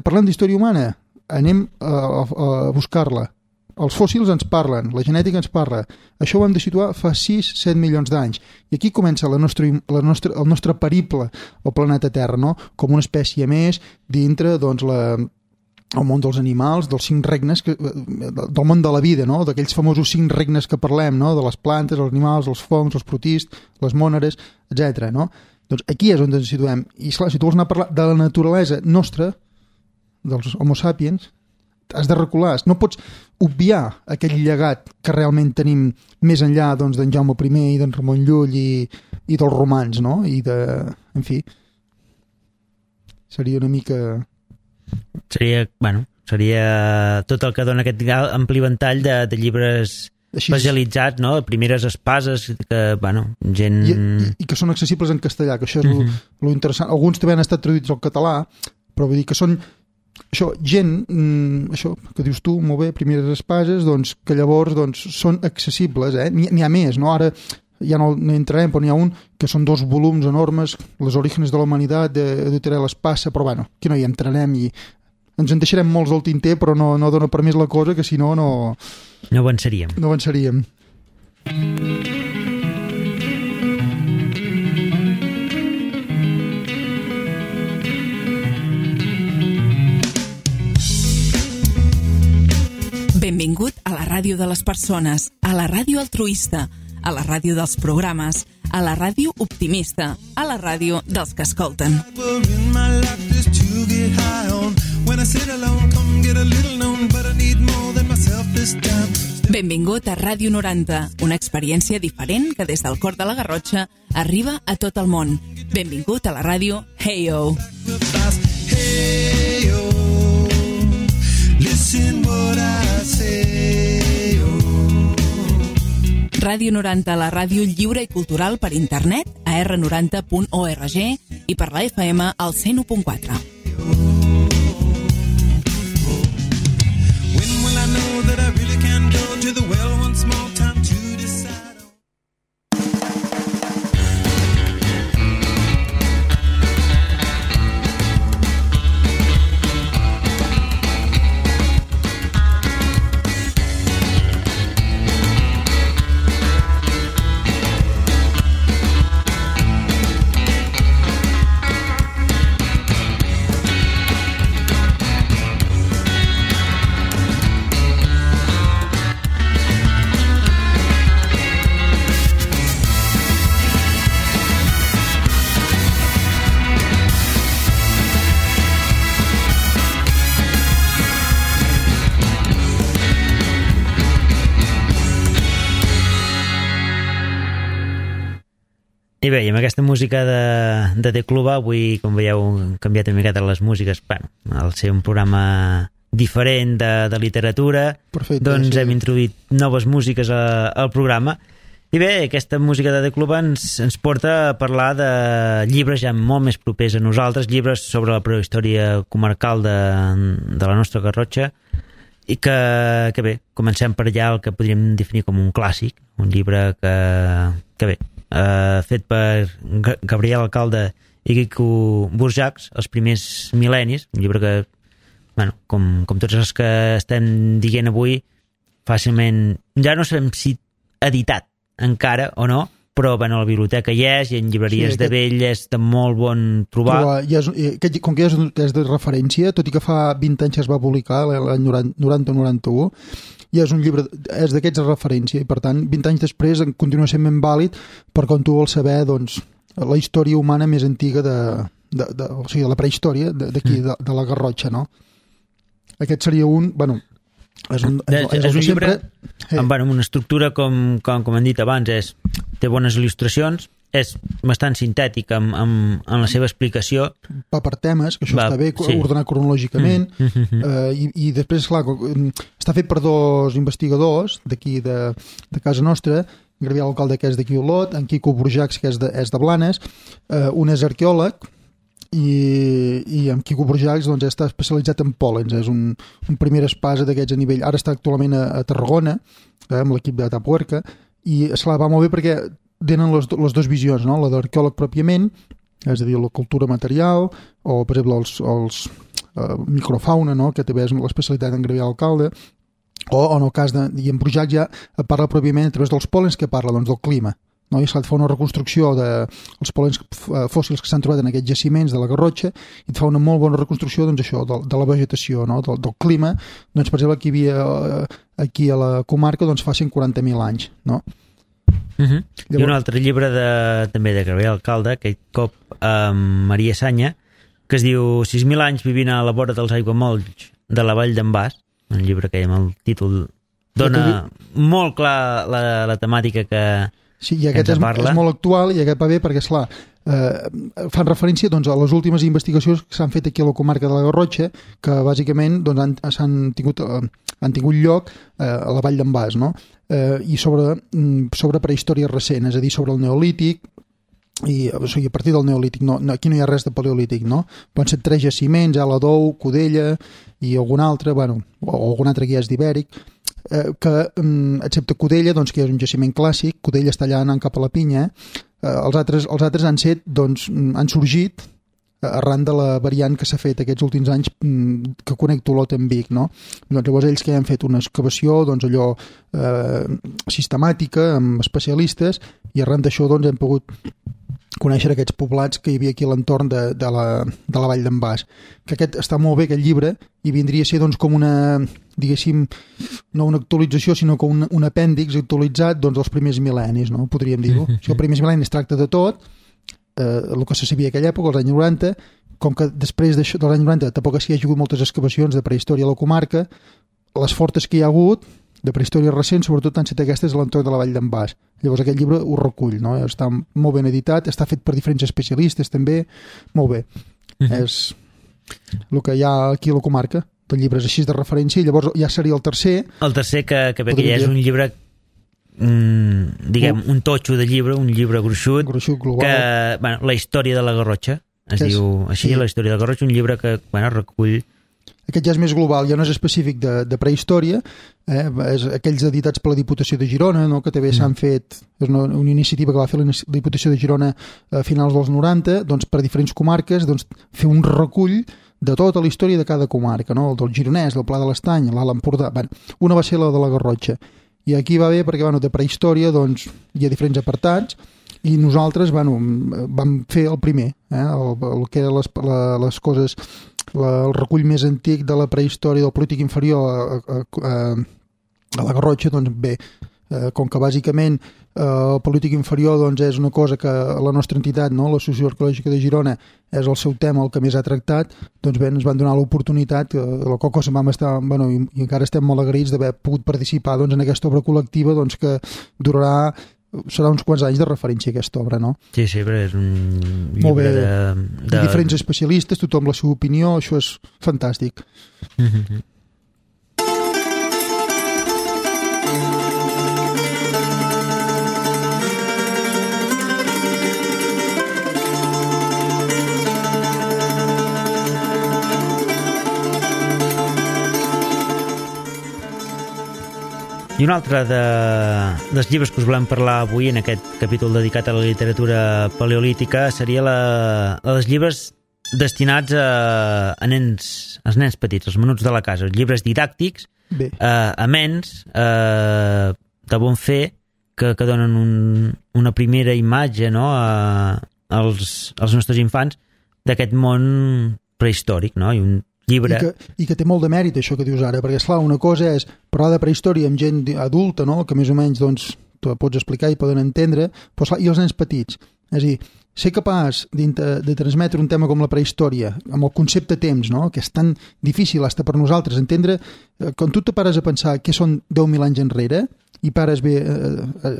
parlem d'història humana, anem a buscar-la. Els fòssils ens parlen, la genètica ens parla. Això ho hem de situar fa 6-7 milions d'anys. I aquí comença el nostre periple al planeta Terra, no? Com una espècie més dintre, el món dels animals, dels 5 regnes, del món de la vida, no? D'aquells famosos 5 regnes que parlem, no? De les plantes, els animals, els fongs, els protists, les mòneres, etc. No? Doncs aquí és on ens situem. I esclar, si tu vols anar a parlar de la naturalesa nostra, dels homo sapiens, has de recular. No pots obviar aquell llegat que realment tenim més enllà d'en Jaume I i d'en Ramon Llull i dels romans, no? En fi, seria una mica... Seria tot el que dona aquest ampli ventall de llibres especialitzats, no? Primeres espases, que, gent... I que són accessibles en castellà, que això és lo interessant. Alguns també han estat traduïts al català, però vull dir que són gent, això que dius tu, molt bé, primeres espases, que llavors són accessibles, n'hi ha més, no? Ara ja no entrarem, però n'hi ha un que són 2 volums enormes, Les orígenes de la humanitat, de Teresa Espasa, però aquí no hi entrarem i ens en deixarem molts al tinter, però no dona per més la cosa, que si no avançaríem. No avançaríem. Benvingut a la ràdio de les persones, a la ràdio altruista, a la ràdio dels programes, a la ràdio optimista, a la ràdio dels que escolten. Benvingut a Ràdio 90, una experiència diferent que des del cor de la Garrotxa arriba a tot el món. Benvingut a la ràdio Hey-O. Hey-O, listen what I say, oh. Ràdio 90, la ràdio lliure i cultural per internet a r90.org i per la FM al 101.4. When will I know that I really can go to the well once more time to decide? I bé, i amb aquesta música de The Club, avui, com veieu, hem canviat una miqueta les músiques. Bueno, al ser un programa diferent de literatura, perfecte, doncs sí, hem introduït noves músiques al programa. I bé, aquesta música de The Club ens porta a parlar de llibres ja molt més propers a nosaltres, llibres sobre la prehistòria comarcal de la nostra Garrotxa, i que bé, comencem per allà el que podríem definir com un clàssic, un llibre que bé, fet per Gabriel Alcalde i Quico Burjacs, Els primers mil·lennis, un llibre que, bueno, com tots els que estem dient avui, fàcilment, ja no sabem si editat encara o no, però bueno, a la biblioteca hi és, i en llibreries de vell és de molt bon trobar. Com que és de referència, tot i que fa 20 anys es va publicar, l'any 90-91, i és un llibre, és d'aquests de referència, i per tant 20 anys després continua sent ben vàlid per quan tu vols saber, doncs, la història humana més antiga o sigui, de la prehistòria d'aquí, de la Garrotxa, no? Aquest seria un, bueno, és un llibre amb una estructura, com hem dit abans, té bones il·lustracions, és bastant sintètic amb la seva explicació. Va per temes, que això està bé, ordenat cronològicament, i després, clar, està fet per dos investigadors d'aquí de casa nostra, Gabriel Alcalde, que és d'aquí Olot, en Quico Burjacs, que és de Blanes, un és arqueòleg, i en Quico Burjacs doncs, està especialitzat en pòlens, és un primer espasa d'aquests a nivell, ara està actualment a Tarragona, amb l'equip de Tapuerca, i esclar, va molt bé perquè tenen les dues visions, no? La d'arqueòleg pròpiament, és a dir, la cultura material, o per exemple els microfauna, no? Que també és l'especialitat en Gabriel Alcalde, o en el cas i en Burjacs ja parla pròpiament a través dels pòlens, que parla doncs, del clima, no? I s'ha de fer una reconstrucció dels pòlens fòssils que s'han trobat en aquests jaciments de la Garrotxa, i et fa una molt bona reconstrucció, doncs, això, de la vegetació, no? Del clima, doncs, per exemple, que hi havia aquí a la comarca doncs, fa 140.000 anys, no? Llavors... I un altre llibre també de Gabriel Alcalde, aquest cop amb Maria Sanya, que es diu 6.000 anys vivint a la vora dels aiguamolls de la Vall d'en Bas, un llibre que amb el títol dona molt clar la temàtica que i aquest és molt actual, i aquest va bé perquè, esclar, fan referència doncs, a les últimes investigacions que s'han fet aquí a la comarca de la Garrotxa, que bàsicament doncs, han tingut lloc a la Vall d'en Bas, no? I sobre prehistòria recent, és a dir, sobre el Neolític, o sigui, a partir del Neolític, aquí no hi ha res de paleolític, no? Poden ser 3 jaciments, Aladou, Codella i algun altre, bueno, o algun altre que ja és d'Ibèric, que, excepte Codella, doncs, que és un jaciment clàssic, Codella està allà anant cap a la Pinya, els altres han sorgit arran de la variant que s'ha fet aquests últims anys que connecta Olot amb Vic, no? Doncs llavors ells que han fet una excavació, doncs allò sistemàtica, amb especialistes, i arran d'això doncs hem pogut conèixer aquests poblats que hi havia aquí a l'entorn de la Vall d'en Bas. Que aquest està molt bé, aquest llibre, i vindria a ser doncs, com una, diguéssim, no una actualització, sinó com un apèndix actualitzat doncs, dels primers mil·lennis, no? Podríem dir-ho. Si els primers mil·lennis tracta de tot, el que se sabia aquella època, als anys 90, com que després dels anys 90 tampoc hi ha hagut moltes excavacions de prehistòria a la comarca, les fortes que hi ha hagut de prehistòria recent, sobretot han estat aquestes a l'entorn de la Vall d'en Bas. Llavors aquest llibre ho recull, no? Està molt ben editat, està fet per diferents especialistes també, molt bé. És el que hi ha aquí a la comarca, de llibres així de referència, i llavors ja seria el tercer. El tercer, que bé que ja és un llibre, diguem, un totxo de llibre, un llibre gruixut global. Que, bueno, la història de la Garrotxa, diu així, sí. La història de la Garrotxa, un llibre que, bueno, recull. Aquest ja és més global, ja no és específic de prehistòria, és aquells editats per la Diputació de Girona, no? Que també s'han fet, és una iniciativa que va fer la Diputació de Girona a finals dels 90, doncs, per diferents comarques, doncs, fer un recull de tota la història de cada comarca, no? El del Gironès, el Pla de l'Estany, l'Alt Empordà. Bueno, una va ser la de la Garrotxa. I aquí va bé perquè, bueno, de prehistòria doncs, hi ha diferents apartats, i nosaltres, bueno, vam fer el primer, el que eren les coses, el recull més antic de la prehistòria del polític inferior a la Garrotxa. Doncs bé, com que bàsicament el polític inferior doncs, és una cosa que la nostra entitat, no? La Socioarqueològica de Girona, és el seu tema, el que més ha tractat, doncs bé, ens van donar l'oportunitat, la qual cosa vam estar, bueno, i encara estem molt agraïts d'haver pogut participar doncs, en aquesta obra col·lectiva, doncs, que serà uns quants anys de referència a aquesta obra, no? Sí, però és un llibre de diferents especialistes, tothom la seva opinió, això és fantàstic. I un altre dels llibres que us volem parlar avui en aquest capítol dedicat a la literatura paleolítica seria dels llibres destinats als nens petits, als menuts de la casa, els llibres didàctics, amens, de bon fer, que donen una primera imatge, no? als nostres infants d'aquest món prehistòric, no? I un llibre. I que té molt de mèrit això que dius ara, perquè esclar, una cosa és parlar de prehistòria amb gent adulta, no? Que més o menys doncs, tu pots explicar i poden entendre, però esclar, i els nens petits, és a dir, ser capaç de transmetre un tema com la prehistòria amb el concepte temps, no? Que és tan difícil fins per nosaltres entendre, quan tu te pares a pensar què són 10.000 anys enrere i pares bé,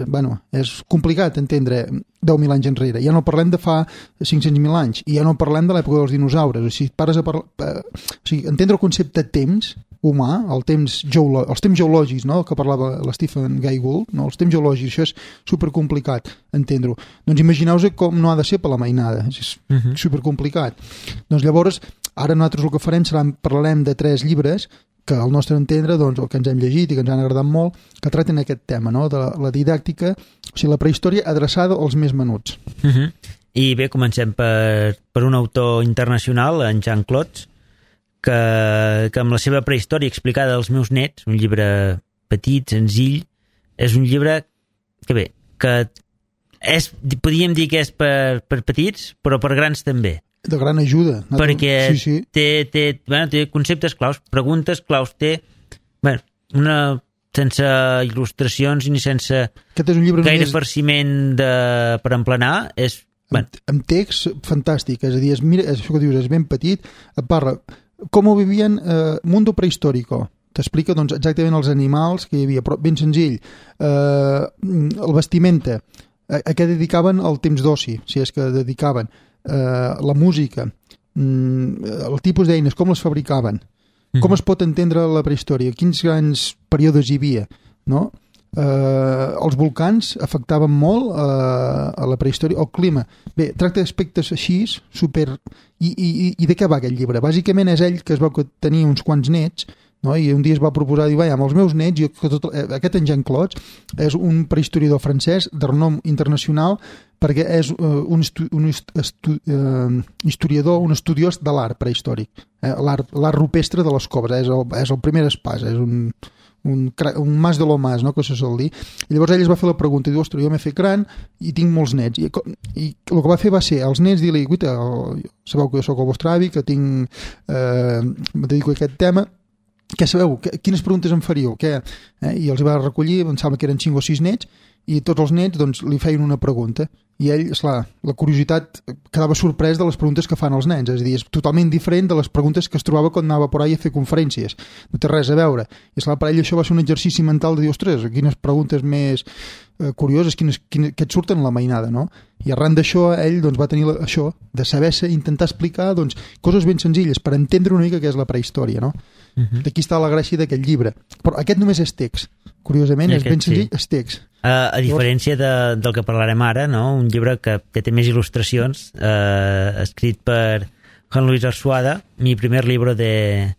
bueno, és complicat entendre 10.000 anys enrere, ja no parlem de fa 500.000 anys, i ja no parlem de l'època dels dinosaures, o sigui, pares a entendre el concepte temps humà, els temps geològics, no? Que parlava l'Stephen Jay Gould, no? Els temps geològics, això és supercomplicat entendre-ho. Doncs imagineu-vos com no ha de ser per la mainada, és supercomplicat. Doncs llavors, ara nosaltres el que farem parlarem de 3 llibres que al nostre entendre, doncs, el que ens hem llegit i que ens han agradat molt, que tracten aquest tema, no? De la didàctica, o sigui, la prehistòria adreçada als més menuts. I bé, comencem per un autor internacional, en Jean Clots, que amb la seva prehistòria explicada als meus nets, un llibre petit, senzill, és un llibre que bé, que podríem dir que és per petits, però per grans també. De gran ajuda. Perquè sí. Té conceptes claus, preguntes claus, sense il·lustracions ni sense gaire farciment per emplenar, és... Amb text fantàstic, és a dir, mira, això que dius, és ben petit, et parla com ho vivien Mundo Prehistòrico, t'explica doncs, exactament els animals que hi havia, però ben senzill, el vestimenta, a què dedicaven el temps d'oci, si és que dedicaven, la música, el tipus d'eines, com les fabricaven, com es pot entendre la prehistòria, quins grans períodes hi havia, no? Els volcans afectaven molt a la prehistòria, el clima. Bé, tracta d'aspectes així, super... I de què va aquest llibre? Bàsicament és ell que es veu que tenia uns quants nets, no? I un dia es va proposar, diu, amb els meus nets, aquest en Jean Clots és un prehistoriador francès de renom internacional perquè és un historiador, un estudiós de l'art prehistòric, l'art rupestre de les coves, és el primer espasa, és un un mas de lo mas, no?, que se sol dir. I llavors ell es va fer la pregunta, i diu, ostres, jo m'he fet gran i tinc molts nets. I el que va fer va ser, als nets, dir-li, guita, sabeu que jo sóc el vostre avi, que tinc, me dedico a aquest tema, què sabeu? Quines preguntes em faríeu? I els va recollir, em sembla que eren 5 o 6 nets, i tots els nets doncs, li feien una pregunta. I ell, esclar, la curiositat quedava sorprès de les preguntes que fan els nens, és a dir, és totalment diferent de les preguntes que es trobava quan anava por ahí a fer conferències. No té res a veure. I esclar, per ell això va ser un exercici mental de dir, ostres, quines preguntes més curioses, que et surten la mainada, no? I arran d'això, ell doncs, va tenir això, de saber-se, intentar explicar doncs, coses ben senzilles per entendre una mica què és la prehistòria, no? D'aquí està la gràcia d'aquest llibre. Però aquest només és text. Curiosament, és ben senzill, és text. A diferència del que parlarem ara, no? Un llibre que té més il·lustracions, escrit per Juan Luis Arzuaga, Mi primer libro de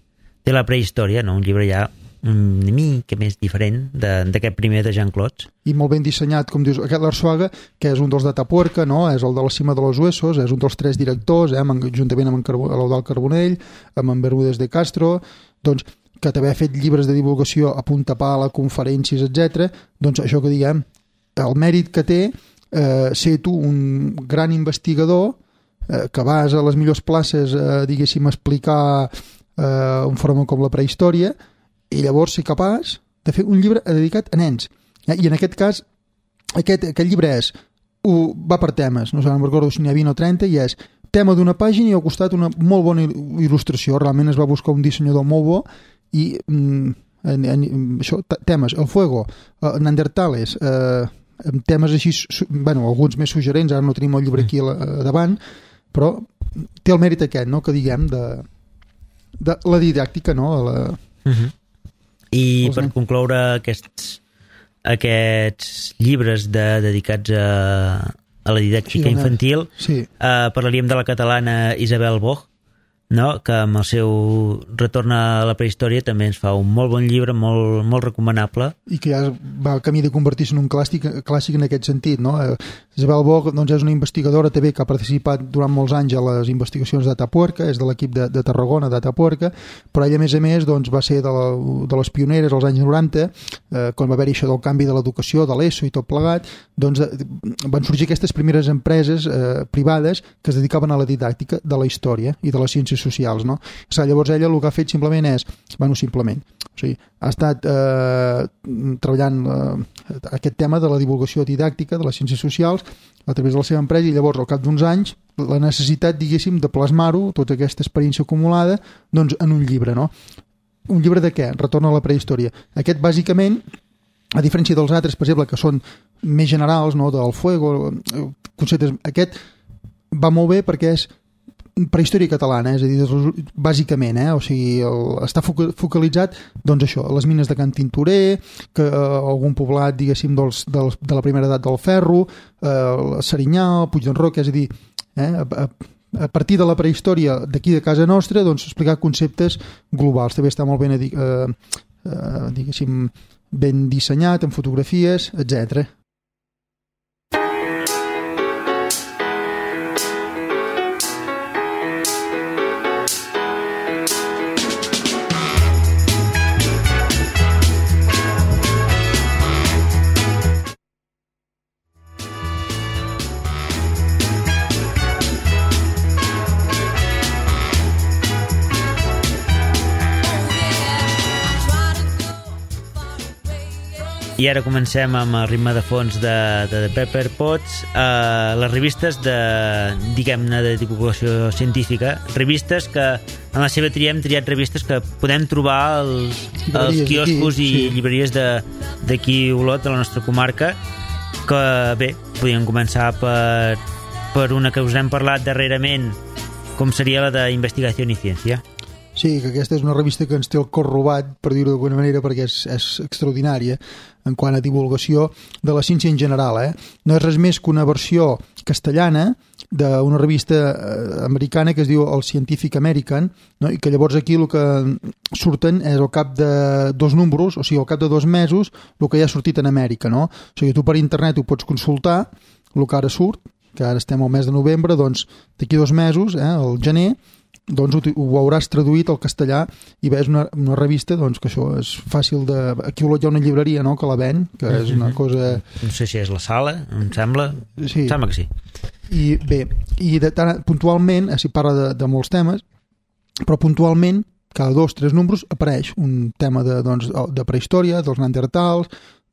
la prehistòria, no? Un llibre ja una mica més diferent d'aquest primer de Jean-Claude. I molt ben dissenyat, com dius, aquest l'Arzuaga, que és un dels d'Atapuerca, no? És el de la Cima de los Huesos, és un dels 3 directors, juntament amb l'Eudald Carbonell, amb en Bermúdez de Castro, doncs, que també ha fet llibres de divulgació a punta pala, conferències, etc. Doncs això que diguem, el mèrit que té ser tu un gran investigador que vas a les millors places, diguéssim, a explicar un fenomen com la prehistòria, i llavors ser capaç de fer un llibre dedicat a nens. I en aquest cas, aquest llibre va per temes, no sé, no recordo si n'hi ha 20 o 30, i és tema d'una pàgina i al costat una molt bona il·lustració. Realment es va buscar un dissenyador molt bo i això, temes, el fuego, neandertales, temes així, bueno, alguns més suggerents, ara no tenim el llibre aquí davant, però té el mèrit aquest, no?, que diguem, de la didàctica, no?, I per concloure aquests llibres dedicats a la didàctica infantil, parlaríem de la catalana Isabel Boch, no? Que amb el seu Retorn a la prehistòria també ens fa un molt bon llibre, molt recomanable. I que ja va al camí de convertir-se en un clàssic en aquest sentit, no? Isabel Boch doncs, és una investigadora també que ha participat durant molts anys a les investigacions d'Atapuerca, és de l'equip de Tarragona d'Atapuerca, però ella a més doncs, va ser de les pioneres als anys 90, quan va haver-hi això del canvi de l'educació, de l'ESO i tot plegat, doncs van sorgir aquestes primeres empreses privades que es dedicaven a la didàctica de la història i de les ciències socials, no? Llavors ella el que ha fet simplement és, o sigui, ha estat treballant aquest tema de la divulgació didàctica de les ciències socials a través de la seva empresa, i llavors al cap d'uns anys la necessitat, diguéssim, de plasmar-ho, tota aquesta experiència acumulada, doncs en un llibre, no? Un llibre de què? Retorn a la prehistòria. Aquest, bàsicament, a diferència dels altres, per exemple, que són més generals, no?, del fuego, conceptes, aquest va molt bé perquè és prehistòria catalana, és a dir, bàsicament, o sigui, està focalitzat, doncs això, les mines de Can Tintorer, que algun poblat, diguéssim, de la primera edat del ferro, Serinyà, Puig d'en Roc, és a dir, a partir de la prehistòria d'aquí de casa nostra, doncs explicar conceptes globals. També està molt ben, diguéssim, ben dissenyat, amb fotografies, etc. I ara comencem amb el ritme de fons de The Pepper Pots, les revistes diguem-ne, de divulgació científica, revistes que en la seva tria hem triat revistes que podem trobar als quioscos i llibreries d'aquí Olot, de la nostra comarca, que bé, podríem començar per una que us hem parlat darrerament, com seria la d'Investigació i Ciència. Sí, que aquesta és una revista que ens té el cor robat, per dir-ho d'alguna manera, perquè és extraordinària en quant a divulgació de la ciència en general. No és res més que una versió castellana d'una revista americana que es diu el Scientific American, no? I que llavors aquí el que surten és al cap de 2 números, o sigui, al cap de 2 mesos, el que ja ha sortit en Amèrica, no? O sigui, tu per internet ho pots consultar, el que ara surt, que ara estem al mes de novembre, doncs d'aquí 2 mesos, al gener, doncs ho hauràs traduït al castellà i ves una revista doncs, que això és fàcil de... Aquí hi ha una llibreria, no?, que la ven, que és una cosa... No sé si és la Sala, em sembla. Sí. Em sembla que sí. I bé, puntualment, s'hi parla de molts temes, però puntualment, cada 2 o 3 números apareix un tema de prehistòria, dels neandertals,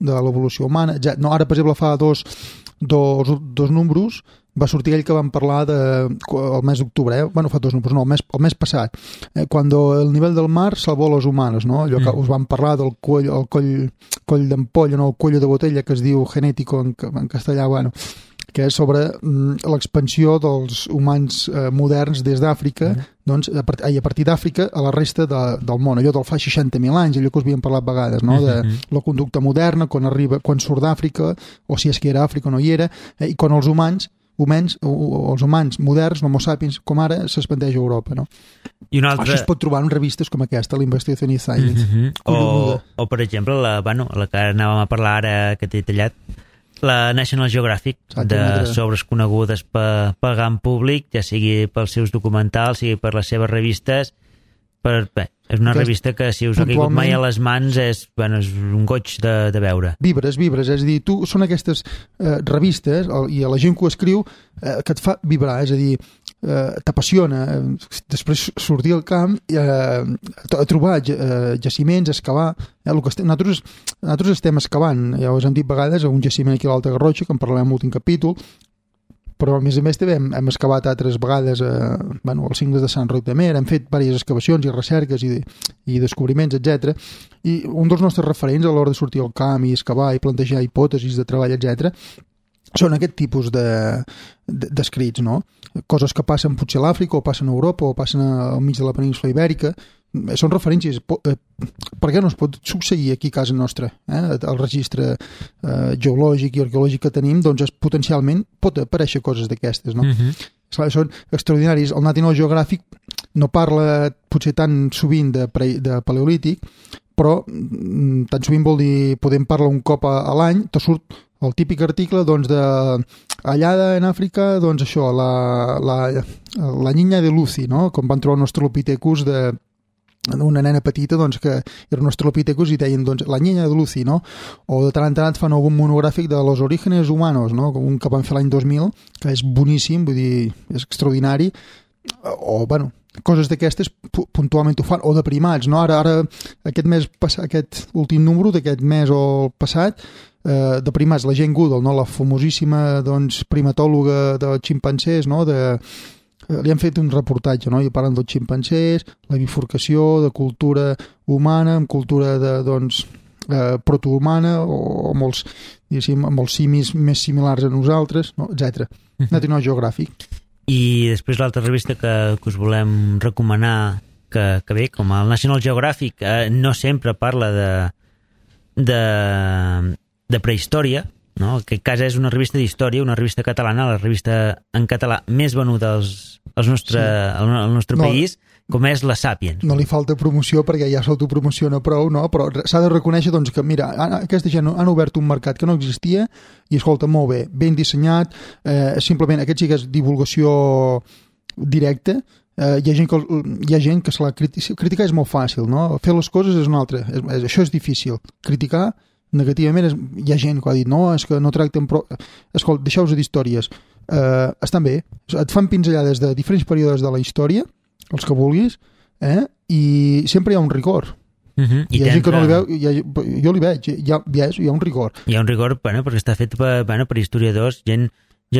de l'evolució humana, etc. No, ara, per exemple, fa dos números va sortir aquell que vam parlar el mes d'octubre, bueno, fa 2 números, no, el mes passat, quan el nivell del mar salvó los humanos, no? Allò que us vam parlar del coll d'ampolla, no? El cuello de botella, que es diu genético en castellà, bueno, que és sobre l'expansió dels humans moderns des d'Àfrica, doncs, a partir d'Àfrica a la resta del món, allò del fa 60.000 anys, allò que us havíem parlat vegades, no? De la conducta moderna, quan surt d'Àfrica, o si és que era Àfrica o no hi era, i quan els humans moderns, l'homo sapiens, com ara, s'expandeix a Europa, no? I una altra... Això es pot trobar en revistes com aquesta, l'Investigación in Science. O, per exemple, la que anàvem a parlar ara, que t'he tallat, la National Geographic, de sobres conegudes pel gran públic, ja sigui pels seus documentals, sigui per les seves revistes. És una revista que, si us ha caigut mai a les mans, és un goig de veure. Vibres, és a dir, són aquestes revistes, i a la gent que ho escriu, que et fa vibrar, és a dir, t'apassiona després sortir al camp a trobar jaciments, excavar. Nosaltres estem excavant, ja us hem dit vegades, un jaciment aquí a l'Alta Garrotxa, que en parlarem en l'últim capítol, però a més també hem excavat altres vegades els cingles de Sant Roc de Mer, hem fet diverses excavacions i recerques i descobriments, etc. I un dels nostres referents a l'hora de sortir al camp i excavar i plantejar hipòtesis de treball, etc., són aquest tipus d'escrits, no? Coses que passen potser a l'Àfrica, o passen a Europa, o passen al mig de la península ibèrica. Són referències. Per què no es pot succeir aquí a casa nostra? El registre geològic i arqueològic que tenim, doncs potencialment pot aparèixer coses d'aquestes, no? Són extraordinaris. El National Geographic no parla potser tan sovint de paleolític, però tan sovint vol dir, podem parlar un cop a l'any, te surt el típic article, doncs, allà en Àfrica, doncs això, la niña de Lucy, no? Com van trobar un Australopithecus d'una nena petita, doncs, que era un Australopithecus i deien, doncs, la niña de Lucy, no? O de tant en tant fan algun monogràfic de los orígenes humanos, no? Un que van fer l'any 2000, que és boníssim, vull dir, és extraordinari, o, bueno, coses d'aquestes puntualment ho fan, o de primats, no? Ara aquest últim número d'aquest mes o el passat, de primats, la Jane Goodall, no? La famosíssima, doncs, primatòloga de ximpancers, no? Li han fet un reportatge, no? I parlen dels ximpancers, la bifurcació de cultura humana amb cultura protohumana, o amb els simis més similars a nosaltres, no? Etc. National Geographic. I després l'altra revista que us volem recomanar, que bé, com el National Geographic, no sempre parla de prehistòria, no? En aquest cas és una revista d'història, una revista catalana, la revista en català més venuda al nostre país, com és la Sàpiens. No li falta promoció perquè ja s'autopromociona prou, no? Però s'ha de reconèixer, doncs, que mira, aquesta gent han obert un mercat que no existia i, escolta, molt bé, ben dissenyat, simplement aquest sí que és divulgació directa. Hi ha gent que se la criticar és molt fàcil, no? Fer les coses és una altra, això és difícil. Criticar negativament hi ha gent que ha dit no, és que no tracten prou... Escolta, deixeu-vos d'històries, estan bé, et fan pinzellades de diferents períodes de la història, els que vulguis, i sempre hi ha un rigor. Hi ha gent que no li veu, jo li veig, hi ha un rigor. Hi ha un rigor, perquè està fet per historiadors, gent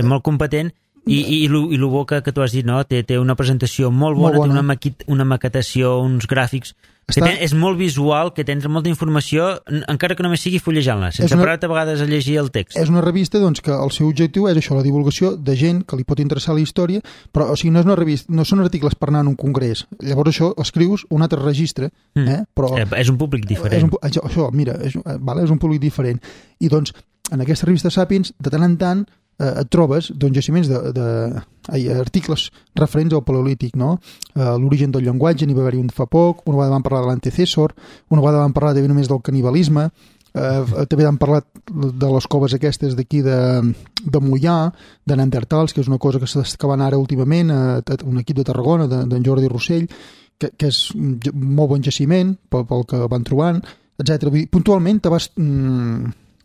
molt competent, i el bo que tu has dit, no? Té una presentació molt bona. Té una maquetació, uns gràfics, és molt visual, que tens molta informació, encara que només sigui fullejant-la, sense parar-te a vegades a llegir el text. És una revista, doncs, que el seu objectiu és això, la divulgació de gent que li pot interessar la història, però, o sigui, no és una revista, no són articles per anar en un congrés. Llavors això escrius un altre registre, però... És un públic diferent. Això, mira, és un públic diferent. I, doncs, en aquesta revista Sàpiens, de tant en tant, et trobes jaciments articles referents al paleolític, no? L'origen del llenguatge, n'hi va haver-hi un fa poc, una vegada vam parlar de l'antecessor, una vegada vam parlar només del canibalisme, També han parlat de les coves aquestes d'aquí de Moià, de Neandertals, que és una cosa que s'està excavant ara últimament, un equip de Tarragona, d'en Jordi Rossell, que és un molt bon jaciment pel que van trobant, etc. Puntualment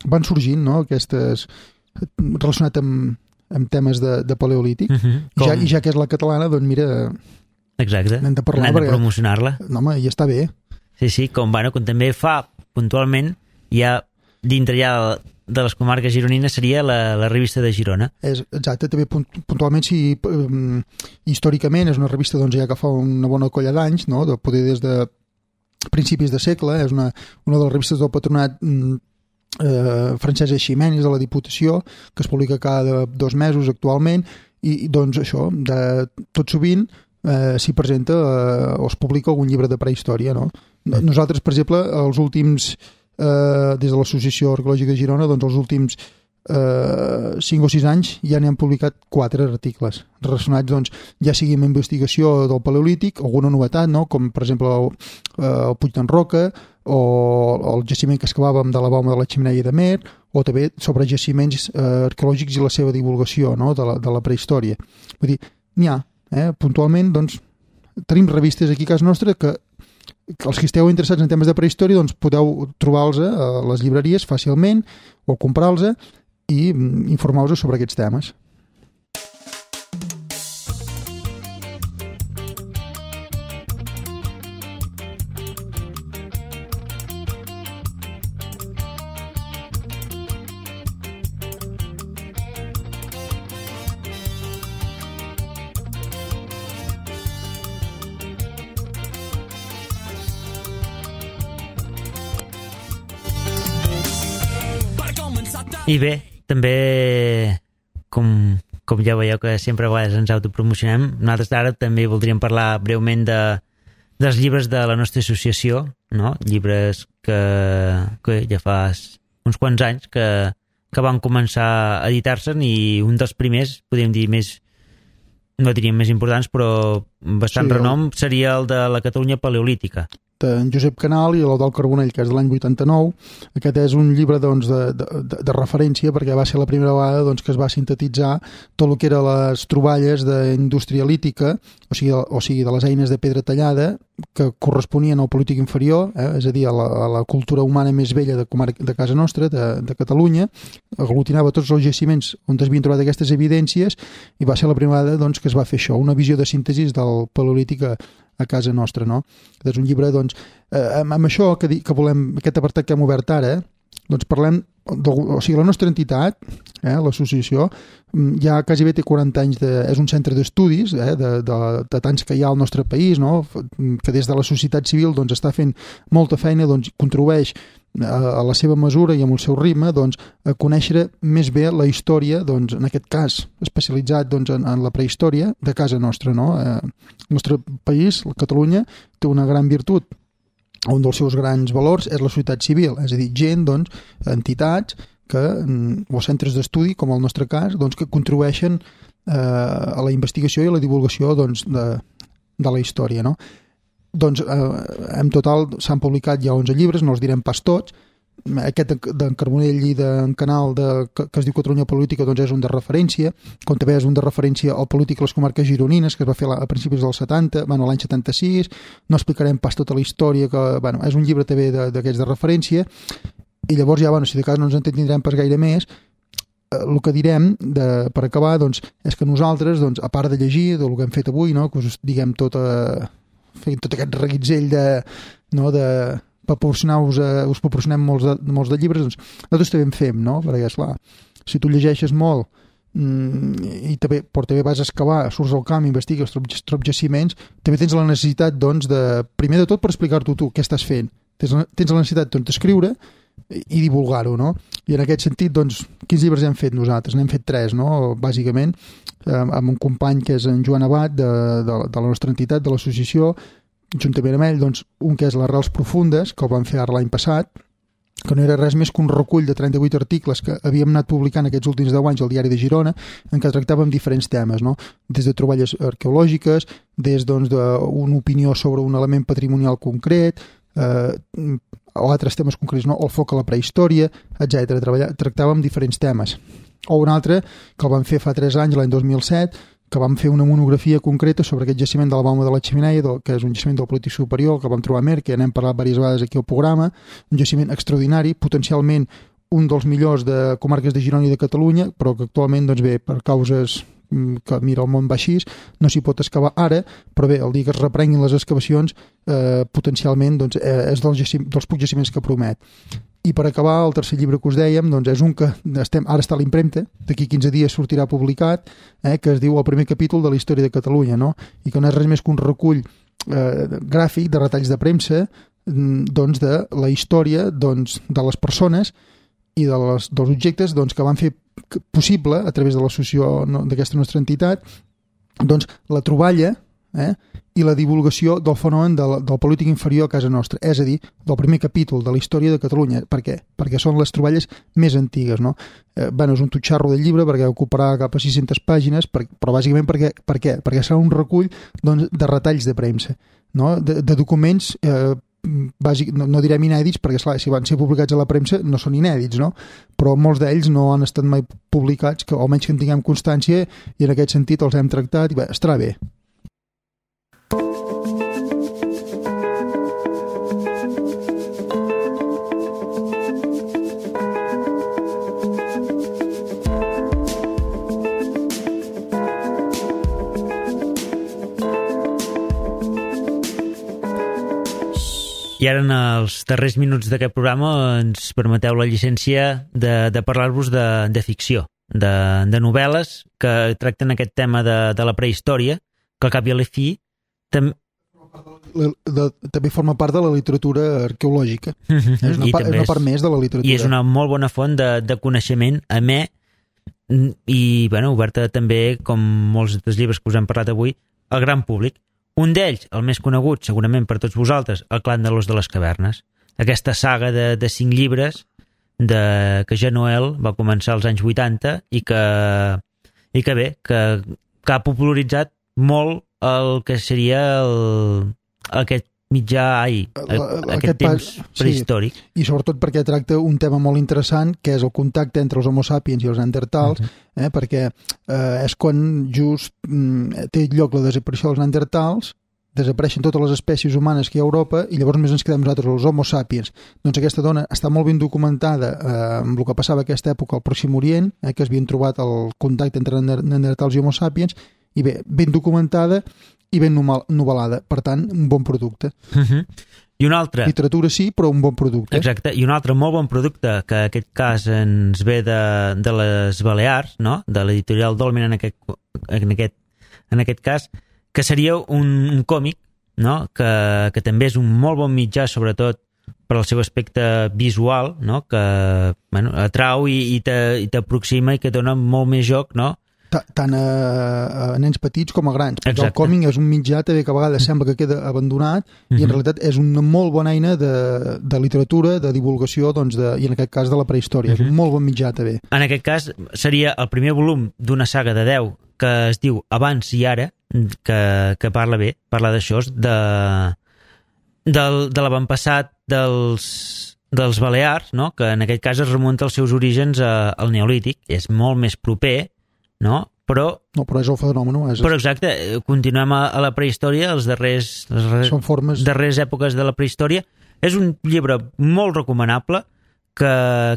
van sorgint, no?, aquestes relacionat amb temes de paleolític, i ja que és la catalana, doncs mira... Exacte, n'hem de parlar, de promocionar-la. No, home, i està bé. Sí, com també fa puntualment, ja dintre ja de les comarques gironines seria la revista de Girona. Exacte, també puntualment, històricament és una revista ja que fa una bona colla d'anys, no?, de poder des de principis de segle, és una de les revistes del patronat Francesc Eiximenis de la Diputació, que es publica cada 2 mesos actualment, i doncs això, tot sovint s'hi presenta o es publica algun llibre de prehistòria, no? Nosaltres, per exemple, els últims, des de l'Associació Arqueològica de Girona, doncs els últims 5 o 6 anys ja n'hem publicat 4 articles relacionats, doncs, ja sigui amb investigació del Paleolític, alguna novetat, no?, com per exemple el Puig d'en Roca o el jaciment que excavàvem de la Bauma de la Xemeneia de Mer, o també sobre jaciments arqueològics i la seva divulgació, no?, de la prehistòria. Vull dir, n'hi ha, puntualment, doncs, tenim revistes aquí a casa nostra que els que esteu interessats en temes de prehistòria doncs podeu trobar-los a les llibreries fàcilment o comprar-los i informar-vos sobre aquests temes. I bé, també, com ja veieu que sempre a vegades ens autopromocionem, nosaltres ara també voldríem parlar breument dels llibres de la nostra associació, no? Llibres que ja fa uns quants anys que van començar a editar-se, i un dels primers, podríem dir no diríem més importants, però bastant renom, seria el de la Catalunya Paleolítica. En Josep Canal i l'Eudald Carbonell, que és de l'any 89. Aquest és un llibre doncs, de referència, perquè va ser la primera vegada doncs, que es va sintetitzar tot el que eren les troballes d'indústria lítica, o sigui, de les eines de pedra tallada, que corresponien al Paleolític inferior, és a dir, a la cultura humana més vella de casa nostra, de Catalunya, aglutinava tots els jaciments on es havien trobat aquestes evidències, i va ser la primera vegada doncs, que es va fer això, una visió de síntesi del Paleolític a casa nostra, no? És un llibre, doncs, amb això que volem, aquest apartat que hem obert ara, doncs parlem, o sigui, la nostra entitat, l'associació, ja quasi bé té 40 anys, és un centre d'estudis, de tants que hi ha al nostre país, no?, que des de la societat civil doncs, està fent molta feina, doncs, contribueix a la seva mesura i amb el seu ritme doncs, a conèixer més bé la història, doncs, en aquest cas especialitzat doncs, en la prehistòria de casa nostra, no? El nostre país, Catalunya, té una gran virtut, un dels seus grans valors és la societat civil, és a dir, gent, doncs, entitats o centres d'estudi, com el nostre cas, doncs, que contribueixen a la investigació i a la divulgació doncs, de la història, no? Doncs en total s'han publicat ja 11 llibres, no els direm pas tots. Aquest d'en Carbonell i d'en Canal que es diu Catalunya Paleolítica doncs és un de referència, com també és un de referència al Polític a les comarques gironines, que es va fer a principis dels 70, l'any 76. No explicarem pas tota la història, que és un llibre també d'aquests de referència, i llavors ja, si de cas no ens entendrem pas gaire més. El que direm, per acabar, doncs, és que nosaltres, doncs, a part de llegir del que hem fet avui, no, que us diguem tot aquest reguitzell us proporcionem molts de llibres, doncs nosaltres també en fem, no? Perquè, esclar, si tu llegeixes molt i també vas a excavar, surts al camp, investigues, trobs jaciments, també tens la necessitat, doncs, primer de tot per explicar-t'ho tu, què estàs fent. Tens la necessitat d'escriure i divulgar-ho, no? I en aquest sentit, doncs, quins llibres hem fet nosaltres? N'hem fet 3, no? Bàsicament, amb un company que és en Joan Abad, de la nostra entitat, de l'associació, juntament amb ell, doncs, un que és les Arrels Profundes, que el vam fer ara l'any passat, que no era res més que un recull de 38 articles que havíem anat publicant aquests últims 10 anys al Diari de Girona, en què tractàvem diferents temes, no? Des de troballes arqueològiques, des d'una opinió sobre un element patrimonial concret, o altres temes concrets, no? O el foc a la prehistòria, etc. Tractàvem diferents temes. O un altre, que el vam fer fa 3 anys, l'any 2007, que vam fer una monografia concreta sobre aquest jaciment de la Bauma de la Xemeneia, que és un jaciment del Polític Superior, que vam trobar a Mer, que n'hem parlat diverses vegades aquí al programa, un jaciment extraordinari, potencialment un dels millors de comarques de Girona i de Catalunya, però que actualment, doncs bé, per causes que mira, el món va així, no s'hi pot excavar ara, però bé, el dia que es reprenguin les excavacions, potencialment doncs, és dels pocs jaciments que promet. I per acabar, el tercer llibre que us dèiem doncs és un que ara està a l'impremta, d'aquí 15 dies sortirà publicat, que es diu El primer capítol de la història de Catalunya, no? I que no és res més que un recull gràfic de retalls de premsa doncs, de la història doncs, de les persones i dels objectes doncs, que van fer possible, a través de l'associació d'aquesta nostra entitat, doncs, la troballa i la divulgació del fenomen del polític inferior a casa nostra, és a dir, del primer capítol de la història de Catalunya. Per què? Perquè són les troballes més antigues, no? És un tutxarro del llibre perquè ocuparà cap a 600 pàgines, però bàsicament per què? Perquè serà un recull doncs, de retalls de premsa, no? De documents no direm inèdits, perquè esclar, si van ser publicats a la premsa no són inèdits, no? Però molts d'ells no han estat mai publicats, o almenys que en tinguem constància, i en aquest sentit els hem tractat i bé, estarà bé. I ara, en els darrers minuts d'aquest programa, ens permeteu la llicència de parlar-vos de ficció, de novel·les que tracten aquest tema de la prehistòria, que al cap i a la fi també forma part de la literatura arqueològica. És una part més de la literatura. I és una molt bona font de coneixement amè i oberta també, com molts dels llibres que us hem parlat avui, al gran públic. Un d'ells, el més conegut, segurament per tots vosaltres, El clan de l'os de les cavernes. Aquesta saga de 5 llibres que Jean Noël va començar als anys 80 i que ha popularitzat molt el que seria aquest mitjà aquest temps prehistòric. Sí. I sobretot perquè tracta un tema molt interessant, que és el contacte entre els homo sapiens i els neandertals, perquè és quan just té lloc la desaparició dels neandertals, desapareixen totes les espècies humanes que hi ha a Europa i llavors només ens quedem nosaltres, els homo sapiens. Doncs aquesta dona està molt ben documentada amb el que passava a aquesta època al Pròxim Orient, que es havien trobat el contacte entre neandertals i homo sapiens, i bé, ben documentada i ben novel·lada, per tant, un bon producte. I un altre... Literatura sí, però un bon producte. Exacte, i un altre molt bon producte, que en aquest cas ens ve de les Balears, no? De l'editorial Dolmen en aquest cas, que seria un còmic, no? Que també és un molt bon mitjà, sobretot per al seu aspecte visual, no? Que atrau i t'aproxima i que dona molt més joc, no? Tant a nens petits com a grans, perquè el còmic és un mitjà també que a vegades sembla que queda abandonat i en realitat és una molt bona eina de literatura, de divulgació i en aquest cas de la prehistòria, és un molt bon mitjà també. En aquest cas seria el primer volum d'una saga de 10 que es diu Abans i Ara, que parla d'això, de l'avantpassat dels Balears, no? Que en aquest cas es remunta als seus orígens al Neolític, és molt més proper, no? Però és el fenomen. Però exacte, continuem a la prehistòria, les darreres èpoques de la prehistòria. És un llibre molt recomanable que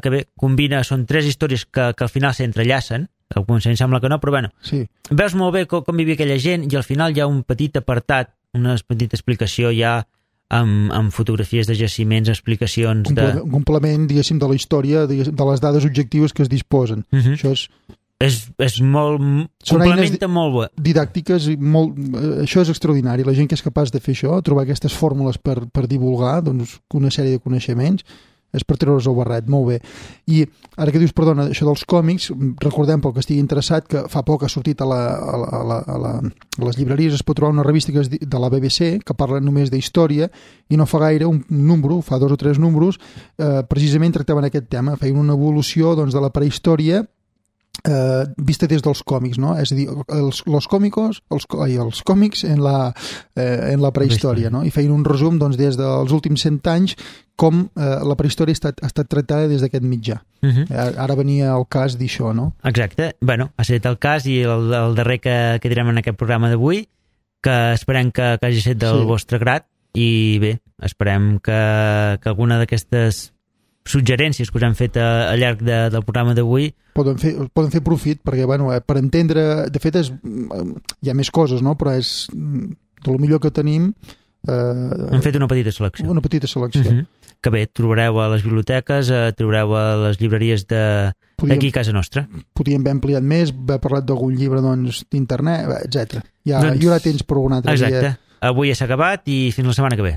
bé, combina, són 3 històries que al final s'entrellacen, al començament sembla que no, però bueno, sí. Veus molt bé com vivia aquella gent i al final hi ha un petit apartat, una petita explicació ja amb fotografies de jaciments, explicacions un complement, diguéssim, de la història, de les dades objectives que es disposen. Això és molt... complementa molt bé. Didàctiques, això és extraordinari. La gent que és capaç de fer això, trobar aquestes fórmules per divulgar una sèrie de coneixements, és per treure's el barret, molt bé. I ara que dius, perdona, això dels còmics, recordem, pel que estigui interessat, que fa poc ha sortit a les llibreries, es pot trobar una revista que és de la BBC, que parla només d'història, i no fa gaire un número, fa 2 o 3 números, precisament tractaven aquest tema, feien una evolució de la prehistòria vista des dels còmics, no? És a dir, els còmics en la prehistòria, no? I feien un resum doncs, des dels últims 100 anys com la prehistòria ha estat tractada des d'aquest mitjà. Ara venia el cas d'això, no? Exacte. Bueno, ha estat el cas i el darrer que direm en aquest programa d'avui, que esperem que hagi estat del vostre grat, i bé, esperem que alguna d'aquestes suggerències que us hem fet al llarg del programa d'avui poden fer profit, perquè bueno, per entendre, de fet hi ha més coses, no? Però és de lo millor que tenim. Hem fet una petita selecció. Que bé, trobareu a les biblioteques, trobareu a les llibreries d'aquí a casa nostra. Podríem haver ampliat més, haver parlat d'algun llibre d'internet, etc. Hi haurà temps per un altre dia. Exacte. Avui ja s'ha acabat i fins la setmana que ve.